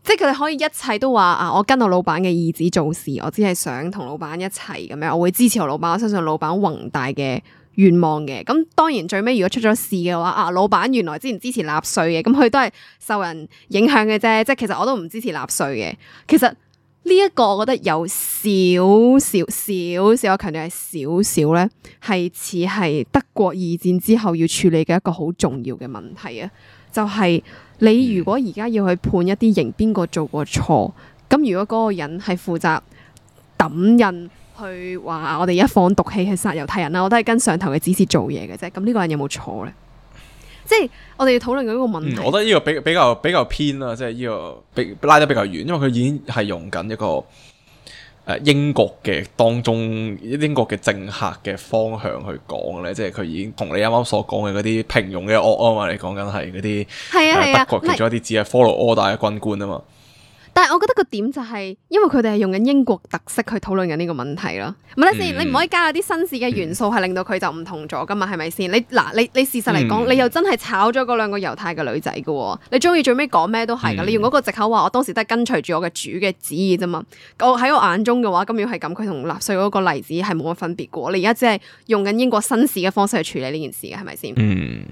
即係佢哋可以一切都話啊，我跟我老闆嘅意志做事，我只係想同老闆一齊咁樣，我會支持我老闆，我相信老闆宏大嘅願望嘅。咁當然最尾如果出咗事嘅話，啊老闆原來之前支持納稅嘅，咁佢都係受人影響嘅啫。即係其實我都唔支持納稅嘅。其實呢一個我覺得有少少少少，我強調係少少咧，係似係德國二戰之後要處理嘅一個好重要嘅問題啊！就係、是、你如果而家要去判一啲刑，邊個做過錯？咁如果嗰個人係負責抌印去話我哋一放毒氣去殺猶太人啦，我都係跟上頭嘅指示做嘢嘅啫。咁呢個人有冇錯咧？即係我哋要討論緊一個問題。嗯、我覺得呢個比比較比較偏啦，即係呢個比拉得比較遠，因為佢已經係用緊一個誒、呃、英國嘅當中英國嘅政客嘅方向去講咧，即係佢已經同你啱啱所講嘅嗰啲平庸嘅惡啊嘛，你講緊係嗰啲係啊係啊，德國其中一啲只係 follow order 嘅軍官啊嘛。但係我覺得個點就係，因為佢哋係用緊英國特色去討論緊呢個問題咯。唔係先，你唔可以加啲紳士嘅元素，係令到佢就唔同咗噶嘛？係咪先？你嗱，你你事實嚟講，嗯、你又真係炒咗嗰兩個猶太嘅女仔噶，你中意最尾講咩都係噶。嗯、你用嗰個藉口話，我當時都係跟隨住我嘅主嘅旨意啫嘛。我喺我眼中嘅話，咁要係咁，佢同納粹嗰個例子係冇乜分別噶。你而家只係用緊英國紳士嘅方式去處理呢件事嘅，係咪先？嗯，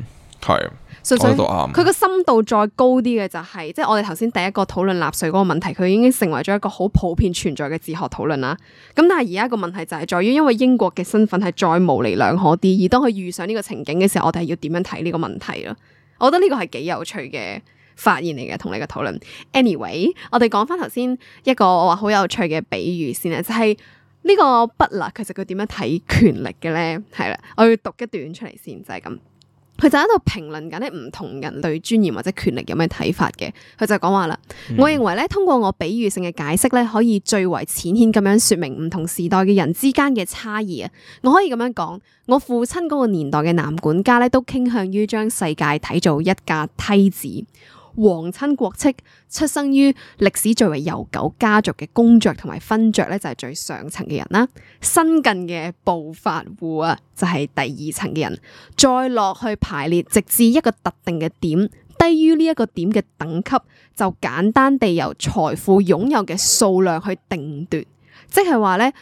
係。純粹講得都啱佢個深度再高啲嘅就係、即係我哋頭先第一個討論納稅嗰個問題，佢已經成為咗一個好普遍存在嘅哲學討論啦。咁但係而家個問題就係在於，因為英國嘅身份係再模棱兩可啲，而當佢遇上呢個情景嘅時候，我哋係要點樣睇呢個問題咯？我覺得呢個係幾有趣嘅發現嚟嘅，同你嘅討論。Anyway，我哋講翻頭先一個我話好有趣嘅比喻先啊，就係、是、呢個 Butler 其實佢點樣睇權力嘅咧？係啦，我要讀一段出嚟先，就係、是、咁。佢就喺度評論緊咧唔同人對尊嚴或者權力有咩睇法嘅。佢就講話啦，嗯、我認為咧通過我比喻性嘅解釋咧，可以最為淺顯咁樣說明唔同時代嘅人之間嘅差異啊。我可以咁樣講，我父親嗰個年代嘅男管家咧，都傾向於將世界睇做一架梯子。皇親國戚出生於歷史最為悠久家族嘅公爵同埋勳爵咧，就係最上層嘅人啦。新近嘅暴發戶啊，就係第二層嘅人。再落去排列，直至一個特定嘅點，低於呢一個點嘅等級，就簡單地由財富擁有嘅數量去定奪，即係話咧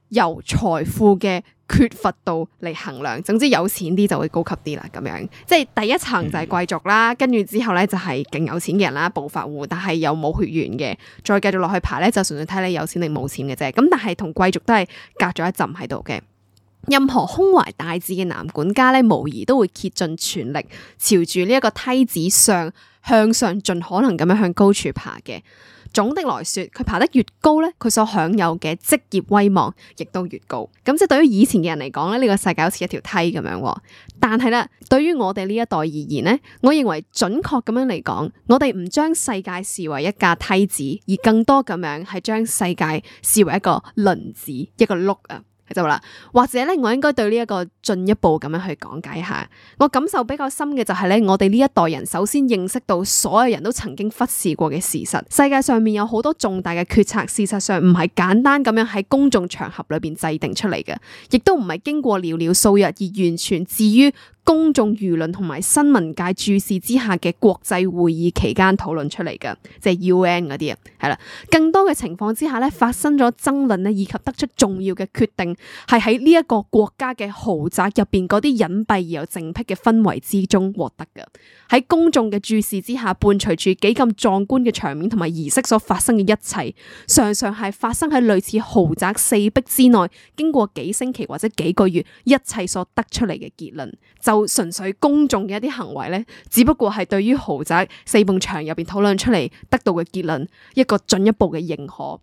由財富嘅缺乏度嚟衡量，總之有錢啲就會高級啲啦，咁樣即係第一層就係貴族啦，跟住之後咧就係勁有錢嘅人啦，暴發戶，但係又冇血緣嘅，再繼續落去排咧就純粹睇你有錢定冇錢嘅啫，咁但係同貴族都係隔咗一陣喺度嘅。任何胸懷大志嘅男管家咧，無疑都會竭盡全力朝住呢一個梯子上向上盡可能咁樣向高處爬嘅。總的來說，佢爬得越高咧，佢所享有嘅職業威望亦都越高。咁即係對於以前嘅人嚟講咧，呢個世界好似一條梯咁樣。但係咧，對於我哋呢一代而言咧，我認為準確咁樣嚟講，我哋唔將世界視為一架梯子，而更多咁樣係將世界視為一個輪子，一個轆啊。就話啦，或者咧，我應該對呢一個進一步咁樣去講解下。我感受比較深嘅就係咧，我哋呢一代人首先認識到所有人都曾經忽視過嘅事實，世界上面有好多重大嘅決策，事實上唔係簡單咁樣喺公眾場合裏邊制定出嚟嘅，亦都唔係經過寥寥數日而完全置於公眾輿論同埋新聞界注視之下嘅國際會議期間討論出嚟嘅，即係 U N 嗰啲啊，係啦。更多嘅情況之下咧，發生咗爭論咧，以及得出重要嘅決定，係喺呢一個國家嘅豪宅入邊嗰啲隱蔽而又靜僻嘅氛圍之中獲得嘅。喺公眾嘅注視之下，伴隨住幾咁壯觀嘅場面同埋儀式所發生嘅一切，常常係發生喺類似豪宅四壁之內，經過幾星期或者幾個月，一切所得出嚟嘅結論，就純粹公眾嘅一啲行為咧，只不過係對於豪宅四埲牆入邊討論出嚟得到嘅結論一個進一步嘅認可。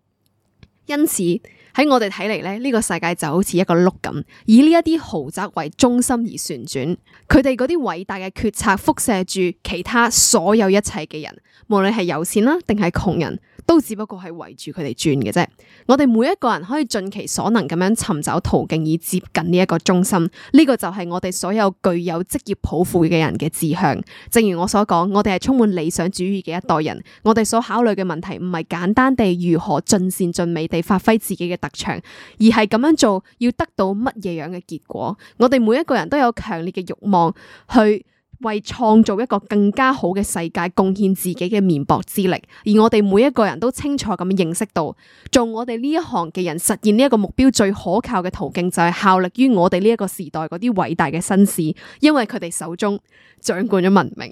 因此喺我哋睇嚟咧，呢個世界就好似一個轆咁，以呢一啲豪宅為中心而旋轉，佢哋嗰啲偉大嘅決策輻射住其他所有一切嘅人，無論係有錢啦定係窮人，都只不過係圍住佢哋轉嘅啫。我哋每一個人可以盡其所能咁樣尋找途徑以接近呢一個中心，呢個就係我哋所有具有職業抱負嘅人嘅志向。正如我所講，我哋係充滿理想主義嘅一代人，我哋所考慮嘅問題唔係簡單地如何盡善盡美地發揮自己嘅特長，而係咁樣做要得到乜嘢樣嘅結果。我哋每一個人都有強烈嘅慾望去為創造一個更加好嘅世界貢獻自己嘅綿薄之力，而我哋每一個人都清楚咁認識到，做我哋呢一行嘅人實現呢一個目標最可靠嘅途徑就係效力於我哋呢一個時代嗰啲偉大嘅紳士，因為佢哋手中掌管咗文明。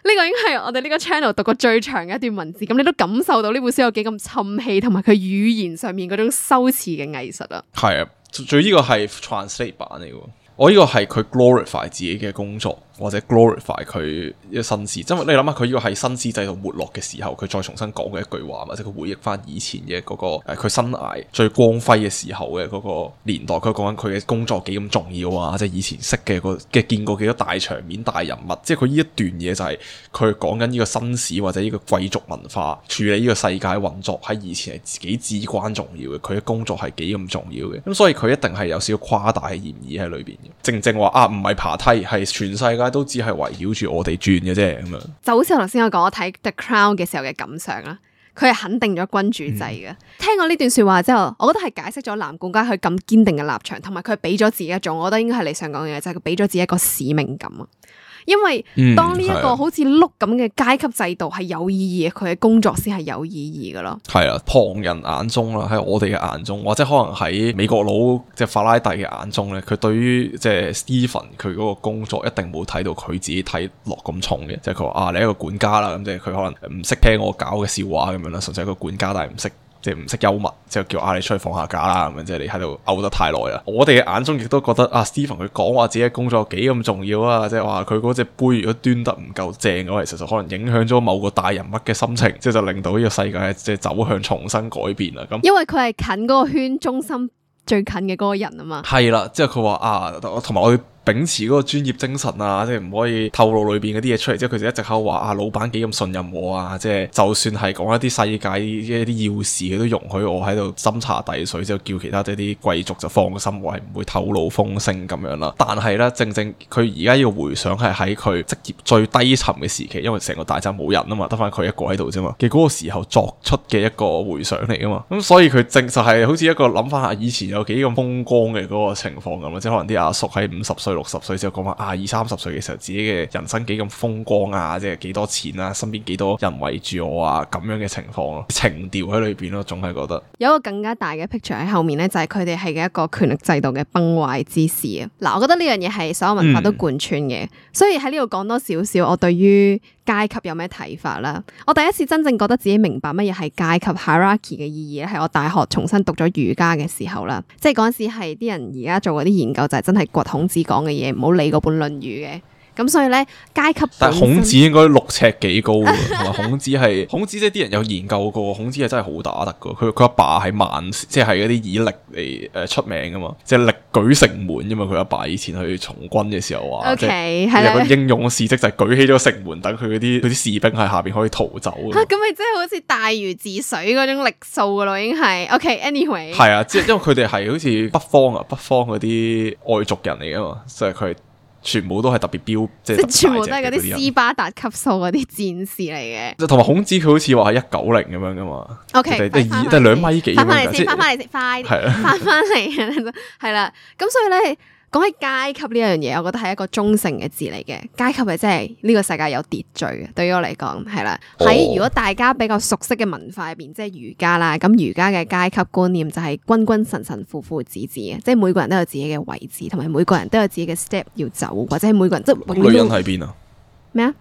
呢個已經係我哋呢個 channel 讀過最長嘅一段文字，咁你都感受到呢本書有幾咁沉氣，同埋佢語言上面嗰種修辭嘅藝術啊。係啊，最呢個係 translate 版嚟嘅。我呢個係佢 glorify 自己嘅工作，或者 glorify 佢嘅紳士。因為你諗下，佢呢個係紳士制度沒落嘅時候，佢再重新講嘅一句話，或者佢回憶翻以前嘅嗰、嗰個誒佢生涯最光輝嘅時候嘅嗰個年代。佢講緊佢嘅工作幾咁重要啊！即係以前識嘅個嘅見過幾多大場面、大人物。即係佢呢一段嘢就係佢講緊呢個紳士或者呢個貴族文化處理呢個世界運作喺以前係自己至關重要嘅。佢嘅工作係幾咁重要嘅。咁所以佢一定係有少少誇大嘅嫌疑喺裏邊嘅。正正話啊，唔係爬梯，係全世界都只係圍繞住我哋轉嘅啫，咁樣就好似我頭先我講我睇 The Crown 嘅時候嘅感想啦。佢係肯定咗君主制嘅。嗯、聽過呢段說話之後，我覺得係解釋咗男管家佢咁堅定嘅立場，同埋佢俾咗自己一種，我覺得應該係你想講嘅嘢，就係佢俾咗自己一個使命感啊。因為嗯當呢一係啊個好似碌咁嘅階級制度係有意義嘅，佢嘅工作先係有意義噶咯。係啊，旁人眼中啦，喺我哋嘅眼中，或者可能喺美國佬即係法拉第嘅眼中咧，佢對於即係 Stephen 佢嗰個工作一定冇睇到佢自己睇落咁重嘅，即係佢話啊，你係一個管家啦，咁即係佢可能唔識聽我搞嘅笑話咁樣啦，純粹係一個管家，但係唔識。即係唔識幽默，之後叫啊你出去放下假啦咁樣，即係你喺度嘔得太耐啦。我哋嘅眼中亦都覺得啊 Stephen 佢講話自己嘅工作幾咁重要啊，即係話佢嗰隻杯如果端得唔夠正嘅話，其實就可能影響咗某個大人物嘅心情，即係就令到呢個世界即係走向重新改變啦。咁因為佢係近嗰個圈中心最近嘅嗰個人啊嘛。係啦，即係佢話啊，同埋我要秉持嗰個專業精神啊，即係唔可以透露裏邊嗰啲嘢出嚟。即係佢就一直喺度話啊，老闆幾咁信任我啊，即係就算係講一啲世界一啲要事，佢都容許我喺度斟茶遞水，之後叫其他即係啲貴族就放心，我係唔會透露風聲咁樣啦。但係咧，正正佢而家要回想係喺佢職業最低沉嘅時期，因為成個大站冇人啊嘛，得翻佢一個喺度啫嘛嘅嗰個時候作出嘅一個回想嚟噶嘛。咁所以佢正就係好似一個諗翻下以前有幾咁風光嘅嗰個情況咁，即係可能啲阿叔喺五十歲六十歲之後講話啊，二三十歲嘅時候自己嘅人生幾咁風光啊，即係幾多錢啊，身邊幾多人圍住我啊，咁樣嘅情況咯，情調喺裏邊咯，總係覺得有一個更加大嘅 picture 喺後面咧，就係佢哋係嘅一個權力制度嘅崩壞之時啊！嗱，我覺得呢樣嘢係所有文化都貫穿嘅，嗯、所以喺呢度講多少少我對於階級有咩睇法啦？我第一次真正覺得自己明白乜嘢係階級 hierarchy 嘅意義咧，係我大學重新讀咗儒家嘅時候啦，即係嗰陣時係啲人而家做嗰啲研究就係真係掘孔子講嘅嘢，唔好理嗰本《論語》嘅。咁所以咧，階級但係孔子應該六尺幾高嘅，同埋孔子係孔子即係啲人有研究過，孔子係真係好打得嘅。佢佢阿爸係萬，即係嗰啲以力嚟誒出名噶嘛，即係力舉城門啫嘛。佢阿爸以前去從軍嘅時候話，OK 係有個英勇嘅事蹟就係舉起咗城門，等佢嗰啲啲士兵喺下邊可以逃走。嚇、啊，咁咪真係好似大禹治水嗰種力數噶咯，已經係 OK。Anyway， 係啊，即係因為佢哋係好似北方啊，北方嗰啲外族人嚟噶嘛，即係佢係。全部都係特別標，即係全部都係嗰啲斯巴達級數嗰啲戰士嚟嘅。即係同埋孔子佢好似話係一九零咁樣噶嘛。O K，即係即係兩米幾咁樣。翻翻嚟先，翻翻嚟先，快啲，翻翻嚟，係啦。咁所以咧，講起階級呢樣嘢，我覺得係一個中性嘅字嚟嘅。階級係即係呢個世界有秩序嘅，對於我嚟講係啦。喺、哦、如果大家比較熟悉嘅文化入邊，即係儒家啦，咁儒家嘅階級觀念就係君君臣臣父父子子嘅，即係每個人都有自己嘅位置，同埋每個人都有自己嘅 step 要走，或者係每個人即係女人喺邊啊？咩啊？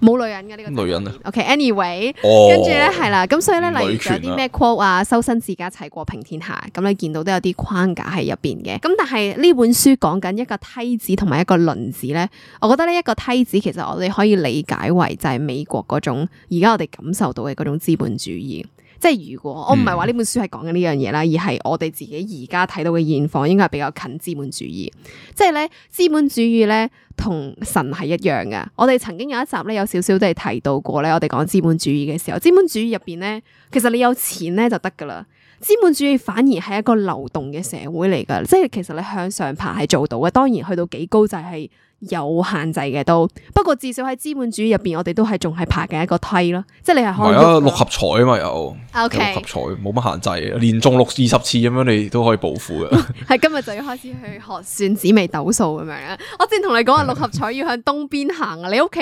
冇女人嘅呢、這個女人啊 ，OK，anyway，、哦、跟住咧係啦，咁所以咧，例如有啲咩 quote 啊，修身治家齊國平天下，咁你見到都有啲框架喺入邊嘅。咁但係呢本書講緊一個梯子同埋一個輪子咧，我覺得呢一個梯子其實我哋可以理解為就係美國嗰種而家我哋感受到嘅嗰種資本主義。即係如果我唔係話呢本書係講緊呢樣嘢啦，而係我哋自己而家睇到嘅現況應該係比較近資本主義。即係咧，資本主義咧同神係一樣噶。我哋曾經有一集咧有少少都係提到過咧，我哋講資本主義嘅時候，資本主義入邊咧，其實你有錢咧就得噶啦。資本主義反而係一個流動嘅社會嚟噶，即係其實你向上爬係做到嘅，當然去到幾高就係有限制嘅都。不過至少喺資本主義入邊，我哋都係仲係爬緊一個梯咯，即係你係可以。係啊，六合彩啊嘛有。O K。六合彩冇乜限制，連中六二十次咁樣，你都可以暴富嘅。係今日就要開始去學算紫微斗數咁樣啦。我之前同你講話六合彩要向東邊行啊，你屋企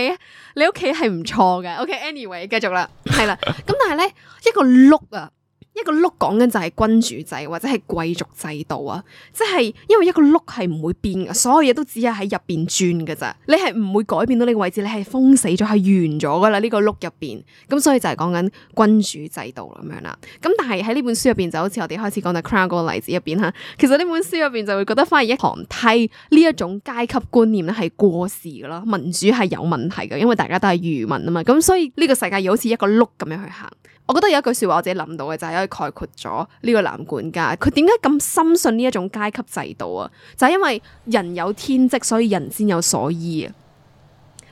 你屋企係唔錯嘅。O K，anyway，繼續啦，係啦。咁但係咧一個碌啊。一個碌講緊就係君主制或者係貴族制度啊，即係因為一個碌係唔會變嘅，所有嘢都只係喺入邊轉㗎咋，你係唔會改變到呢個位置，你係封死咗，係完咗噶啦呢個碌入邊，咁所以就係講緊君主制度咁樣啦。咁但係喺呢本書入邊就好似我哋開始講到 Crown 嗰個例子入邊吓，其實呢本書入邊就會覺得反而一行梯呢一種階級觀念咧係過時噶啦，民主係有問題嘅，因為大家都係愚民啊嘛，咁所以呢個世界要好似一個碌咁樣去行。我覺得有一句說話我自己諗到嘅就係可以概括咗呢個男管家，佢點解咁深信呢一種階級制度啊？就係因為人有天職，所以人先有所依啊！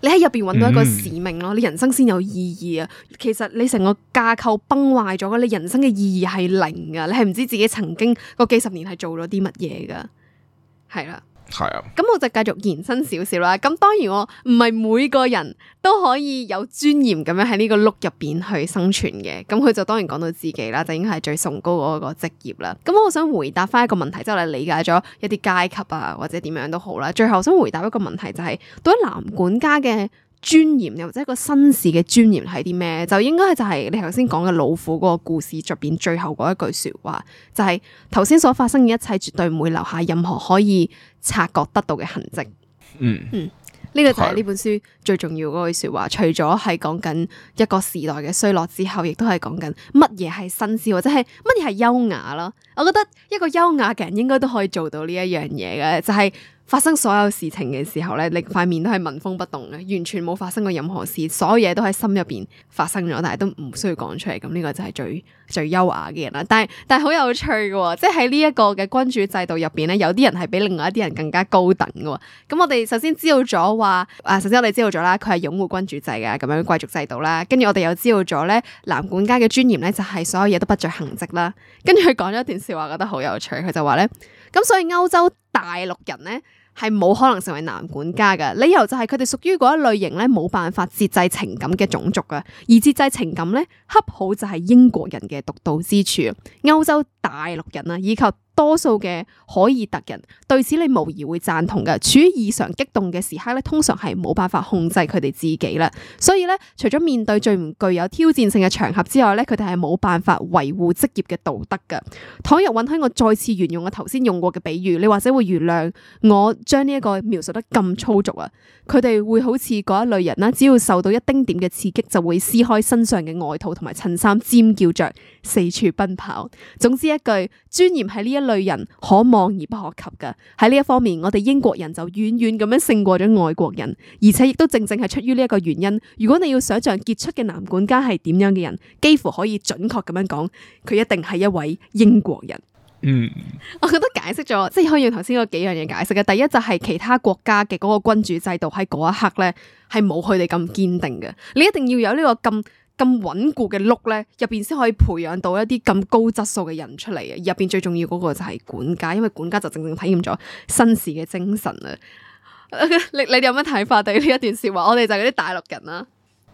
你喺入邊揾到一個使命咯，嗯、你人生先有意義啊！其實你成個架構崩壞咗，你人生嘅意義係零噶，你係唔知自己曾經嗰幾十年係做咗啲乜嘢噶，係啦。係啊，咁我就繼續延伸少少啦。咁當然我唔係每個人都可以有尊嚴咁樣喺呢個碌入邊去生存嘅。咁佢就當然講到自己啦，就應該係最崇高嗰個職業啦。咁我想回答翻一個問題，即係我哋理解咗一啲階級啊，或者點樣都好啦。最後想回答一個問題，就係到底男管家嘅尊嚴又或者一個紳士嘅尊嚴係啲咩？就應該就係你頭先講嘅老虎嗰個故事入邊最後嗰一句說話，就係頭先所發生嘅一切絕對唔會留下任何可以察覺得到嘅痕跡。嗯嗯，呢個就係呢本書最重要嗰句說話。除咗係講緊一個時代嘅衰落之後，亦都係講緊乜嘢係紳士或者係乜嘢係優雅啦。我覺得一個優雅嘅人應該都可以做到呢一樣嘢嘅，就係發生所有事情嘅時候咧，你塊面都係紋風不動嘅，完全冇發生過任何事，所有嘢都喺心入邊發生咗，但係都唔需要講出嚟。咁呢個就係最最優雅嘅人啦。但係但係好有趣嘅，即係喺呢一個嘅君主制度入邊咧，有啲人係比另外一啲人更加高等嘅。咁我哋首先知道咗話，啊，首先我哋知道咗啦，佢係擁護君主制嘅咁樣貴族制度啦。跟住我哋又知道咗咧，男管家嘅尊嚴咧就係所有嘢都不着痕跡啦。跟住佢講咗一段笑話，覺得好有趣。佢就話咧，咁所以歐洲大陸人咧係冇可能成為男管家嘅，理由就係佢哋屬於嗰一類型咧冇辦法節制情感嘅種族啊，而節制情感咧恰好就係英國人嘅獨到之處。歐洲大陸人啊，以及多數嘅凱爾特人對此你無疑會贊同嘅。處於異常激動嘅時刻咧，通常係冇辦法控制佢哋自己啦。所以咧，除咗面對最唔具有挑戰性嘅場合之外咧，佢哋係冇辦法維護職業嘅道德㗎。倘若允許我再次沿用我頭先用過嘅比喻，你或者會原諒我將呢一個描述得咁粗俗啊。佢哋會好似嗰一類人啦，只要受到一丁點嘅刺激，就會撕開身上嘅外套同埋襯衫，尖叫着四處奔跑。總之一句，尊嚴係呢一類人可望而不可及噶。喺呢一方面，我哋英國人就遠遠咁樣勝過咗外國人，而且亦都正正係出於呢一個原因。如果你要想象傑出嘅男管家係點樣嘅人，幾乎可以準確咁樣講，佢一定係一位英國人。嗯，我覺得解釋咗，即係可以用頭先嗰幾樣嘢解釋嘅。第一就係其他國家嘅嗰個君主制度喺嗰一刻咧，係冇佢哋咁堅定嘅。你一定要有呢個咁咁穩固嘅碌咧，入邊先可以培養到一啲咁高質素嘅人出嚟嘅。入邊最重要嗰個就係管家，因為管家就正正體驗咗紳士嘅精神啊！你你哋有咩睇法對呢一段說話？我哋就係嗰啲大陸人啦。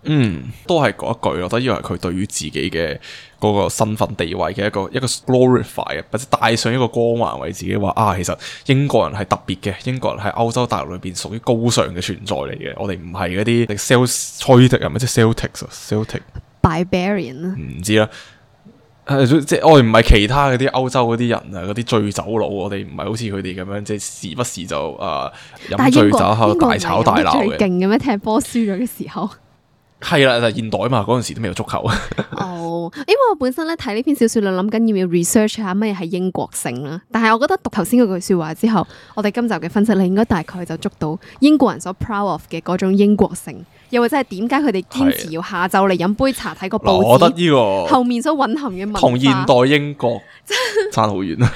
嗯，都係嗰一句咯，我覺得呢個係佢對於自己嘅嗰個身份地位嘅一個一個 glorify 嘅，或者帶上一個光環為自己話啊，其實英國人係特別嘅，英國人喺歐洲大陸裏邊屬於高尚嘅存在嚟嘅，我哋唔係嗰啲 Celtic 啊，咪即係 Celtics 啊 Celtic Barbarian 啊，唔知啦。即係我哋唔係其他嗰啲歐洲嗰啲人啊，嗰啲醉酒佬，我哋唔係好似佢哋咁樣，即係時不時就誒飲醉酒喺度大吵大鬧嘅。最勁嘅咩？踢波輸咗嘅時候。係啦，就現代嘛，嗰陣時都未有足球。哦，因為我本身咧睇呢篇小說，諗緊要唔要 research 下乜嘢係英國性啦。但係我覺得讀頭先嗰句說話之後，我哋今集嘅分析，你應該大概就捉到英國人所 proud of 嘅嗰種英國性，又或者係點解佢哋堅持要下晝嚟飲杯茶睇個報紙。我覺得呢個後面所蘊含嘅文化同現代英國差好遠啊！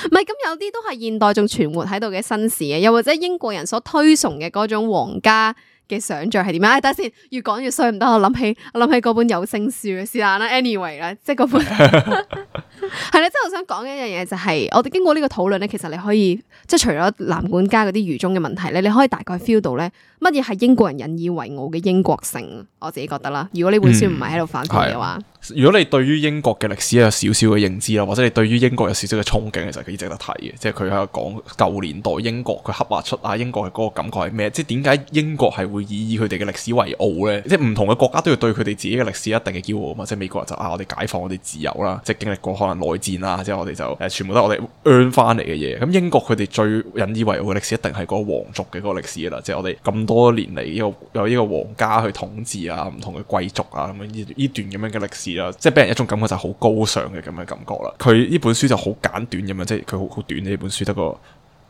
唔係，咁有啲都係現代仲存活喺度嘅紳士嘅，又或者英國人所推崇嘅嗰種皇家嘅想像係點樣？哎，等下先，越講越衰，唔得，我諗起我諗起嗰本有聲書嘅是但啦。anyway 啦，即係嗰本係啦，即係我想講嘅一樣嘢就係，我哋經過呢個討論咧，其實你可以即係除咗男管家嗰啲愚忠嘅問題咧，你可以大概 feel 到咧乜嘢係英國人引以為傲嘅英國性。我自己覺得啦，如果呢本書唔係喺度反對嘅話。嗯，如果你對於英國嘅歷史有少少嘅認知啦，或者你對於英國有少少嘅憧憬，其實幾值得睇嘅。即係佢喺度講舊年代英國，佢刻畫出啊英國嘅嗰個感覺係咩？即係點解英國係會以佢哋嘅歷史為傲咧？即係唔同嘅國家都要對佢哋自己嘅歷史一定嘅驕傲啊嘛！即係美國人就啊，我哋解放我哋自由啦，即係經歷過可能內戰啦，即係我哋就誒、呃、全部都係我哋 earn 翻嚟嘅嘢。咁英國佢哋最引以為傲嘅歷史一定係嗰個皇族嘅嗰個歷史啦，即係我哋咁多年嚟呢個有呢個皇家去統治啊，唔同嘅貴族啊咁樣呢呢段咁樣嘅歷史啦，即係俾人一種感覺就係好高尚嘅咁嘅感覺啦。佢呢本書就好簡短咁樣，即係佢好好短呢本書得個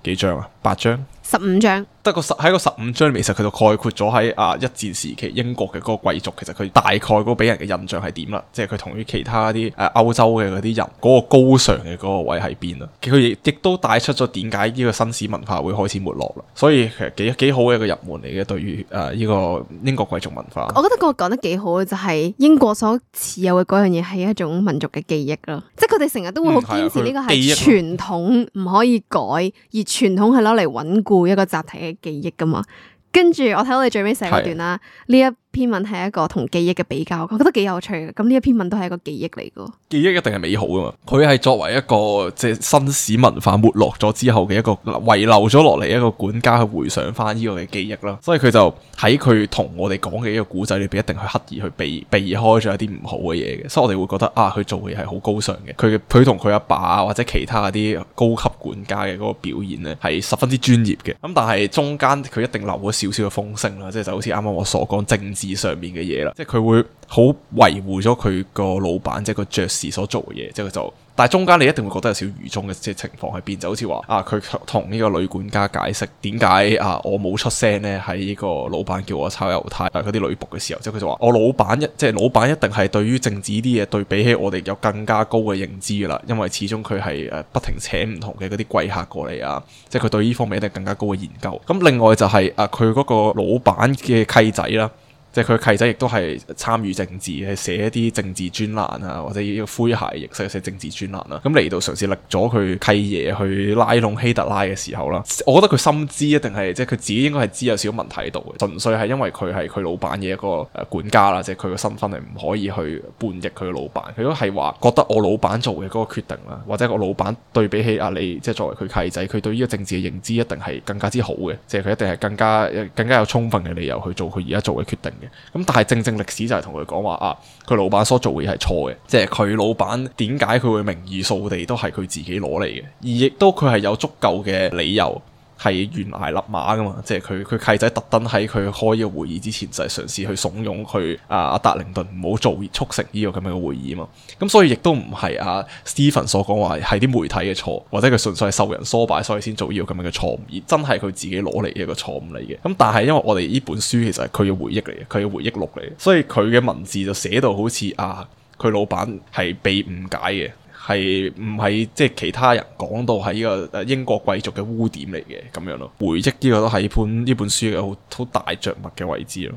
幾章啊？八章？十五章？得個十喺個十五章裏面，其實佢就概括咗喺啊一戰時期英國嘅嗰個貴族，其實佢大概嗰個俾人嘅印象係點啦？即係佢同於其他啲誒歐洲嘅嗰啲人嗰個高尚嘅嗰個位喺邊啊？佢亦亦都帶出咗點解呢個紳士文化會開始沒落啦。所以其實幾幾好嘅一個入門嚟嘅，對於誒呢個英國貴族文化。我覺得嗰個講得幾好嘅就係英國所持有嘅嗰樣嘢係一種民族嘅記憶咯，即係佢哋成日都會好堅持呢個係傳統唔可以改，而傳統係攞嚟穩固固一個集體嘅記憶噶嘛。跟住我睇到你最尾寫嗰段啦，呢一篇文係一個同記憶嘅比較，我覺得幾有趣嘅。咁呢一篇文都係一個記憶嚟噶，記憶一定係美好噶嘛。佢係作為一個即係紳士文化沒落咗之後嘅一個遺留咗落嚟一個管家去回想翻呢個嘅記憶啦。所以佢就喺佢同我哋講嘅呢個古仔裏邊，一定去刻意去避避開咗一啲唔好嘅嘢嘅。所以我哋會覺得啊，佢做嘅嘢係好高尚嘅。佢佢同佢阿爸或者其他啲高級管家嘅嗰個表現呢，係十分之專業嘅。咁但係中間佢一定留咗少少嘅風聲啦，即係就好似啱啱我所講政治上面嘅嘢啦，即係佢會好維護咗佢個老闆，即係個爵士所做嘅嘢，即係佢就，但係中間你一定會覺得有少少愚忠嘅即係情況喺邊，就好似話啊，佢同呢個女管家解釋點解啊我冇出聲呢？喺呢個老闆叫我抄猶太嗰啲女僕嘅時候，即係佢就話我老闆一即係老闆一定係對於政治啲嘢對比起我哋有更加高嘅認知噶啦，因為始終佢係誒不停請唔同嘅嗰啲貴客過嚟啊，即係佢對呢方面一定更加高嘅研究。咁另外就係啊佢嗰個老闆嘅契仔啦。即係佢契仔亦都係參與政治，係寫一啲政治專欄啊，或者呢個詼諧形式寫政治專欄啦。咁嚟到嘗試力咗佢契爺去拉攏希特拉嘅時候啦，我覺得佢深知一定係即係佢自己應該係知有少少問題喺度嘅，純粹係因為佢係佢老闆嘅一個誒管家啦，即係佢個身份係唔可以去叛逆佢嘅老闆。佢都係話覺得我老闆做嘅嗰個決定啦，或者我老闆對比起阿你即係作為佢契仔，佢對呢個政治嘅認知一定係更加之好嘅，即係佢一定係更加更加有充分嘅理由去做佢而家做嘅決定。咁但係正正歷史就係同佢講話啊，佢老闆所做嘅嘢係錯嘅，即係佢老闆點解佢會名義掃地都係佢自己攞嚟嘅，而亦都佢係有足夠嘅理由係懸崖勒馬噶嘛，即係佢佢契仔特登喺佢開呢個會議之前就係嘗試去慫恿佢啊阿達靈頓唔好做促成呢個咁樣嘅會議啊嘛，咁所以亦都唔係阿 Stephen 所講話係啲媒體嘅錯，或者佢純粹係受人唆擺所以先做呢個咁樣嘅錯誤，而真係佢自己攞嚟嘅一個錯誤嚟嘅。咁但係因為我哋呢本書其實係佢嘅回憶嚟嘅，佢嘅回憶錄嚟嘅，所以佢嘅文字就寫到好似啊佢老闆係被誤解嘅。係唔係即係其他人講到係呢個英國貴族嘅污點嚟嘅咁樣咯？回憶呢個都係本呢本書嘅好好大着墨嘅位置咯。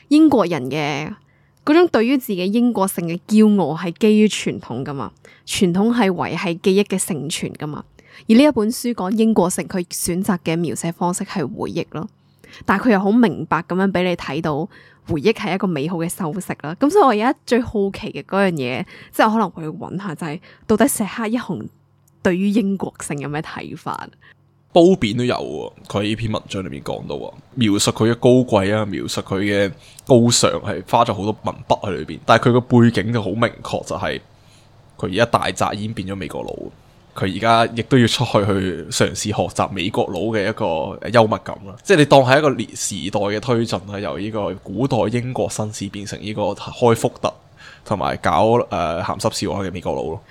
英國人嘅嗰種對於自己英國性嘅驕傲係基於傳統噶嘛，傳統係維繫記憶嘅承傳噶嘛。而呢一本書講英國性，佢選擇嘅描寫方式係回憶咯，但係佢又好明白咁樣俾你睇到。回憶係一個美好嘅修飾啦，咁所以我而家最好奇嘅嗰樣嘢，即係我可能會揾下就係、是、到底石黑一雄對於英國性有咩睇法？褒貶都有喎，佢呢篇文章裏面講到啊，描述佢嘅高貴啊，描述佢嘅高尚係花咗好多文筆喺裏邊，但係佢個背景就好明確，就係佢而家大宅已經變咗美國佬。佢而家亦都要出去去嘗試學習美國佬嘅一個幽默感啦，即係你當係一個年時代嘅推進啦，由呢個古代英國紳士變成呢個開福特同埋搞誒鹹濕笑話嘅美國佬咯。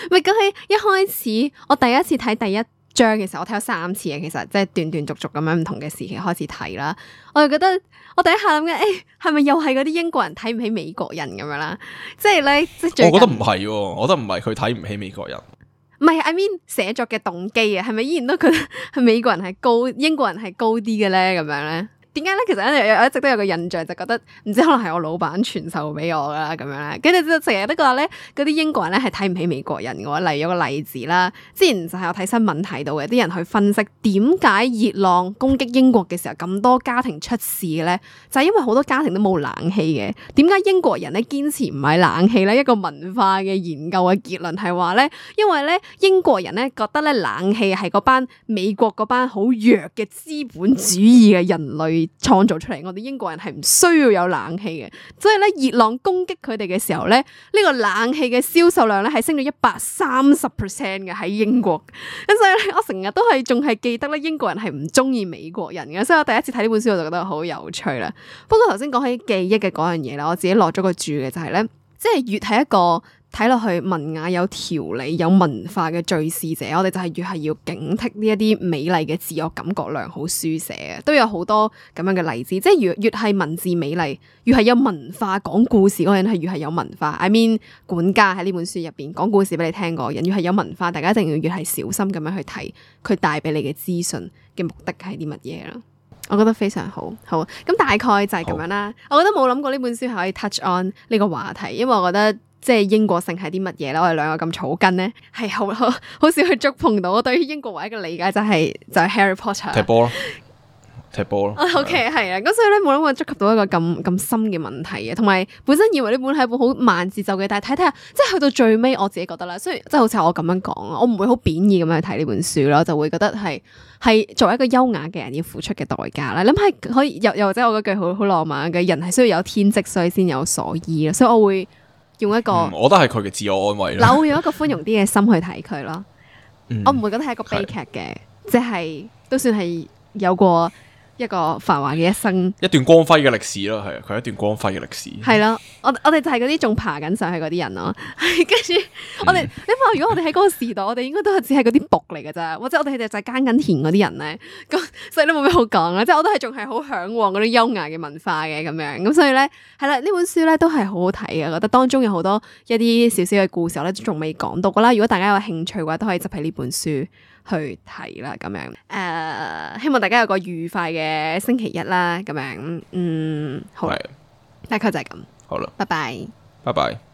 咪咁喺一開始我第一次睇第一章嘅時候，我睇咗三次嘅，其實即係斷斷續續咁樣唔同嘅時期開始睇啦。我就覺得我第一下諗緊，誒係咪又係嗰啲英國人睇唔起美國人咁樣啦？即係咧，即係最近我覺得唔係，我覺得唔係佢睇唔起美國人。唔係 I mean 寫作嘅動機啊，係咪依然都覺得係美國人係高，英國人係高啲嘅咧？咁樣咧？點解咧？其實我一直都有個印象，就覺得唔知可能係我老闆傳授俾我啦，咁樣咧。跟住就成日都覺得咧，嗰啲英國人咧係睇唔起美國人嘅。例如有個例子啦，之前就係我睇新聞睇到嘅，啲人去分析點解熱浪攻擊英國嘅時候咁多家庭出事嘅咧，就係因為好多家庭都冇冷氣嘅。點解英國人咧堅持唔買冷氣咧？一個文化嘅研究嘅結論係話咧，因為咧英國人咧覺得咧冷氣係嗰班美國嗰班好弱嘅資本主義嘅人類創造出嚟，我哋英國人係唔需要有冷氣嘅，所以咧熱浪攻擊佢哋嘅時候咧，呢、這個冷氣嘅銷售量咧係升咗一百三十 percent 嘅喺英國，咁所以咧我成日都係仲係記得咧英國人係唔中意美國人嘅，所以我第一次睇呢本書我就覺得好有趣啦。不過頭先講起記憶嘅嗰樣嘢啦，我自己落咗個注嘅就係、是、咧，即係越係一個。睇落去文雅有條理有文化嘅敘事者，我哋就係越係要警惕呢一啲美麗嘅自我感覺良好書寫嘅，都有好多咁樣嘅例子。即係越越係文字美麗，越係有文化講故事嗰個人係越係有文化。I mean 管家喺呢本書入邊講故事俾你聽嗰個人，越係有文化，大家一定要越係小心咁樣去睇佢帶俾你嘅資訊嘅目的係啲乜嘢啦。我覺得非常好，好咁大概就係咁樣啦。我覺得冇諗過呢本書係可以 touch on 呢個話題，因為我覺得即係英國性係啲乜嘢咧？我哋兩個咁草根咧，係好好好少去觸碰到。我對於英國唯一嘅理解就係、就係、Harry Potter 踢波咯，踢波咯。O K 係啊，咁所以咧冇諗過觸及到一個咁咁深嘅問題嘅，同埋本身以為呢本係一本好慢節奏嘅，但係睇睇下，即係去到最尾，我自己覺得啦，雖然即係好似我咁樣講啊，我唔會好貶義咁樣去睇呢本書咯，就會覺得係係作為一個優雅嘅人要付出嘅代價啦。諗下可以又又或者我嗰句好好浪漫嘅人係需要有天職，所以先有所依咯，所以我會用一個、嗯，我覺得係佢嘅自我安慰啦。嗱，我會用一個寬容啲嘅心去睇佢咯，嗯、我唔會覺得係一個悲劇嘅，即係都算係有過一個繁華嘅一生，一段光輝嘅歷史咯，係啊，佢係一段光輝嘅歷史。係咯，我我哋就係嗰啲仲爬緊上去嗰啲人咯，跟住我哋，你諗下，如果我哋喺嗰個時代，我哋應該都係只係嗰啲僕嚟㗎咋，或者我哋就係耕緊田嗰啲人咧，咁所以都冇咩好講啦。即係我都係仲係好向往嗰啲優雅嘅文化嘅咁樣，咁所以咧係啦，呢本書咧都係好好睇嘅，我覺得當中有好多一啲少少嘅故事，我咧仲未講到㗎啦。如果大家有興趣嘅話，都可以執起呢本書去睇啦，咁樣誒、呃，希望大家有個愉快嘅星期一啦，咁樣，嗯，好，係大概就係咁，好啦，拜拜。拜拜。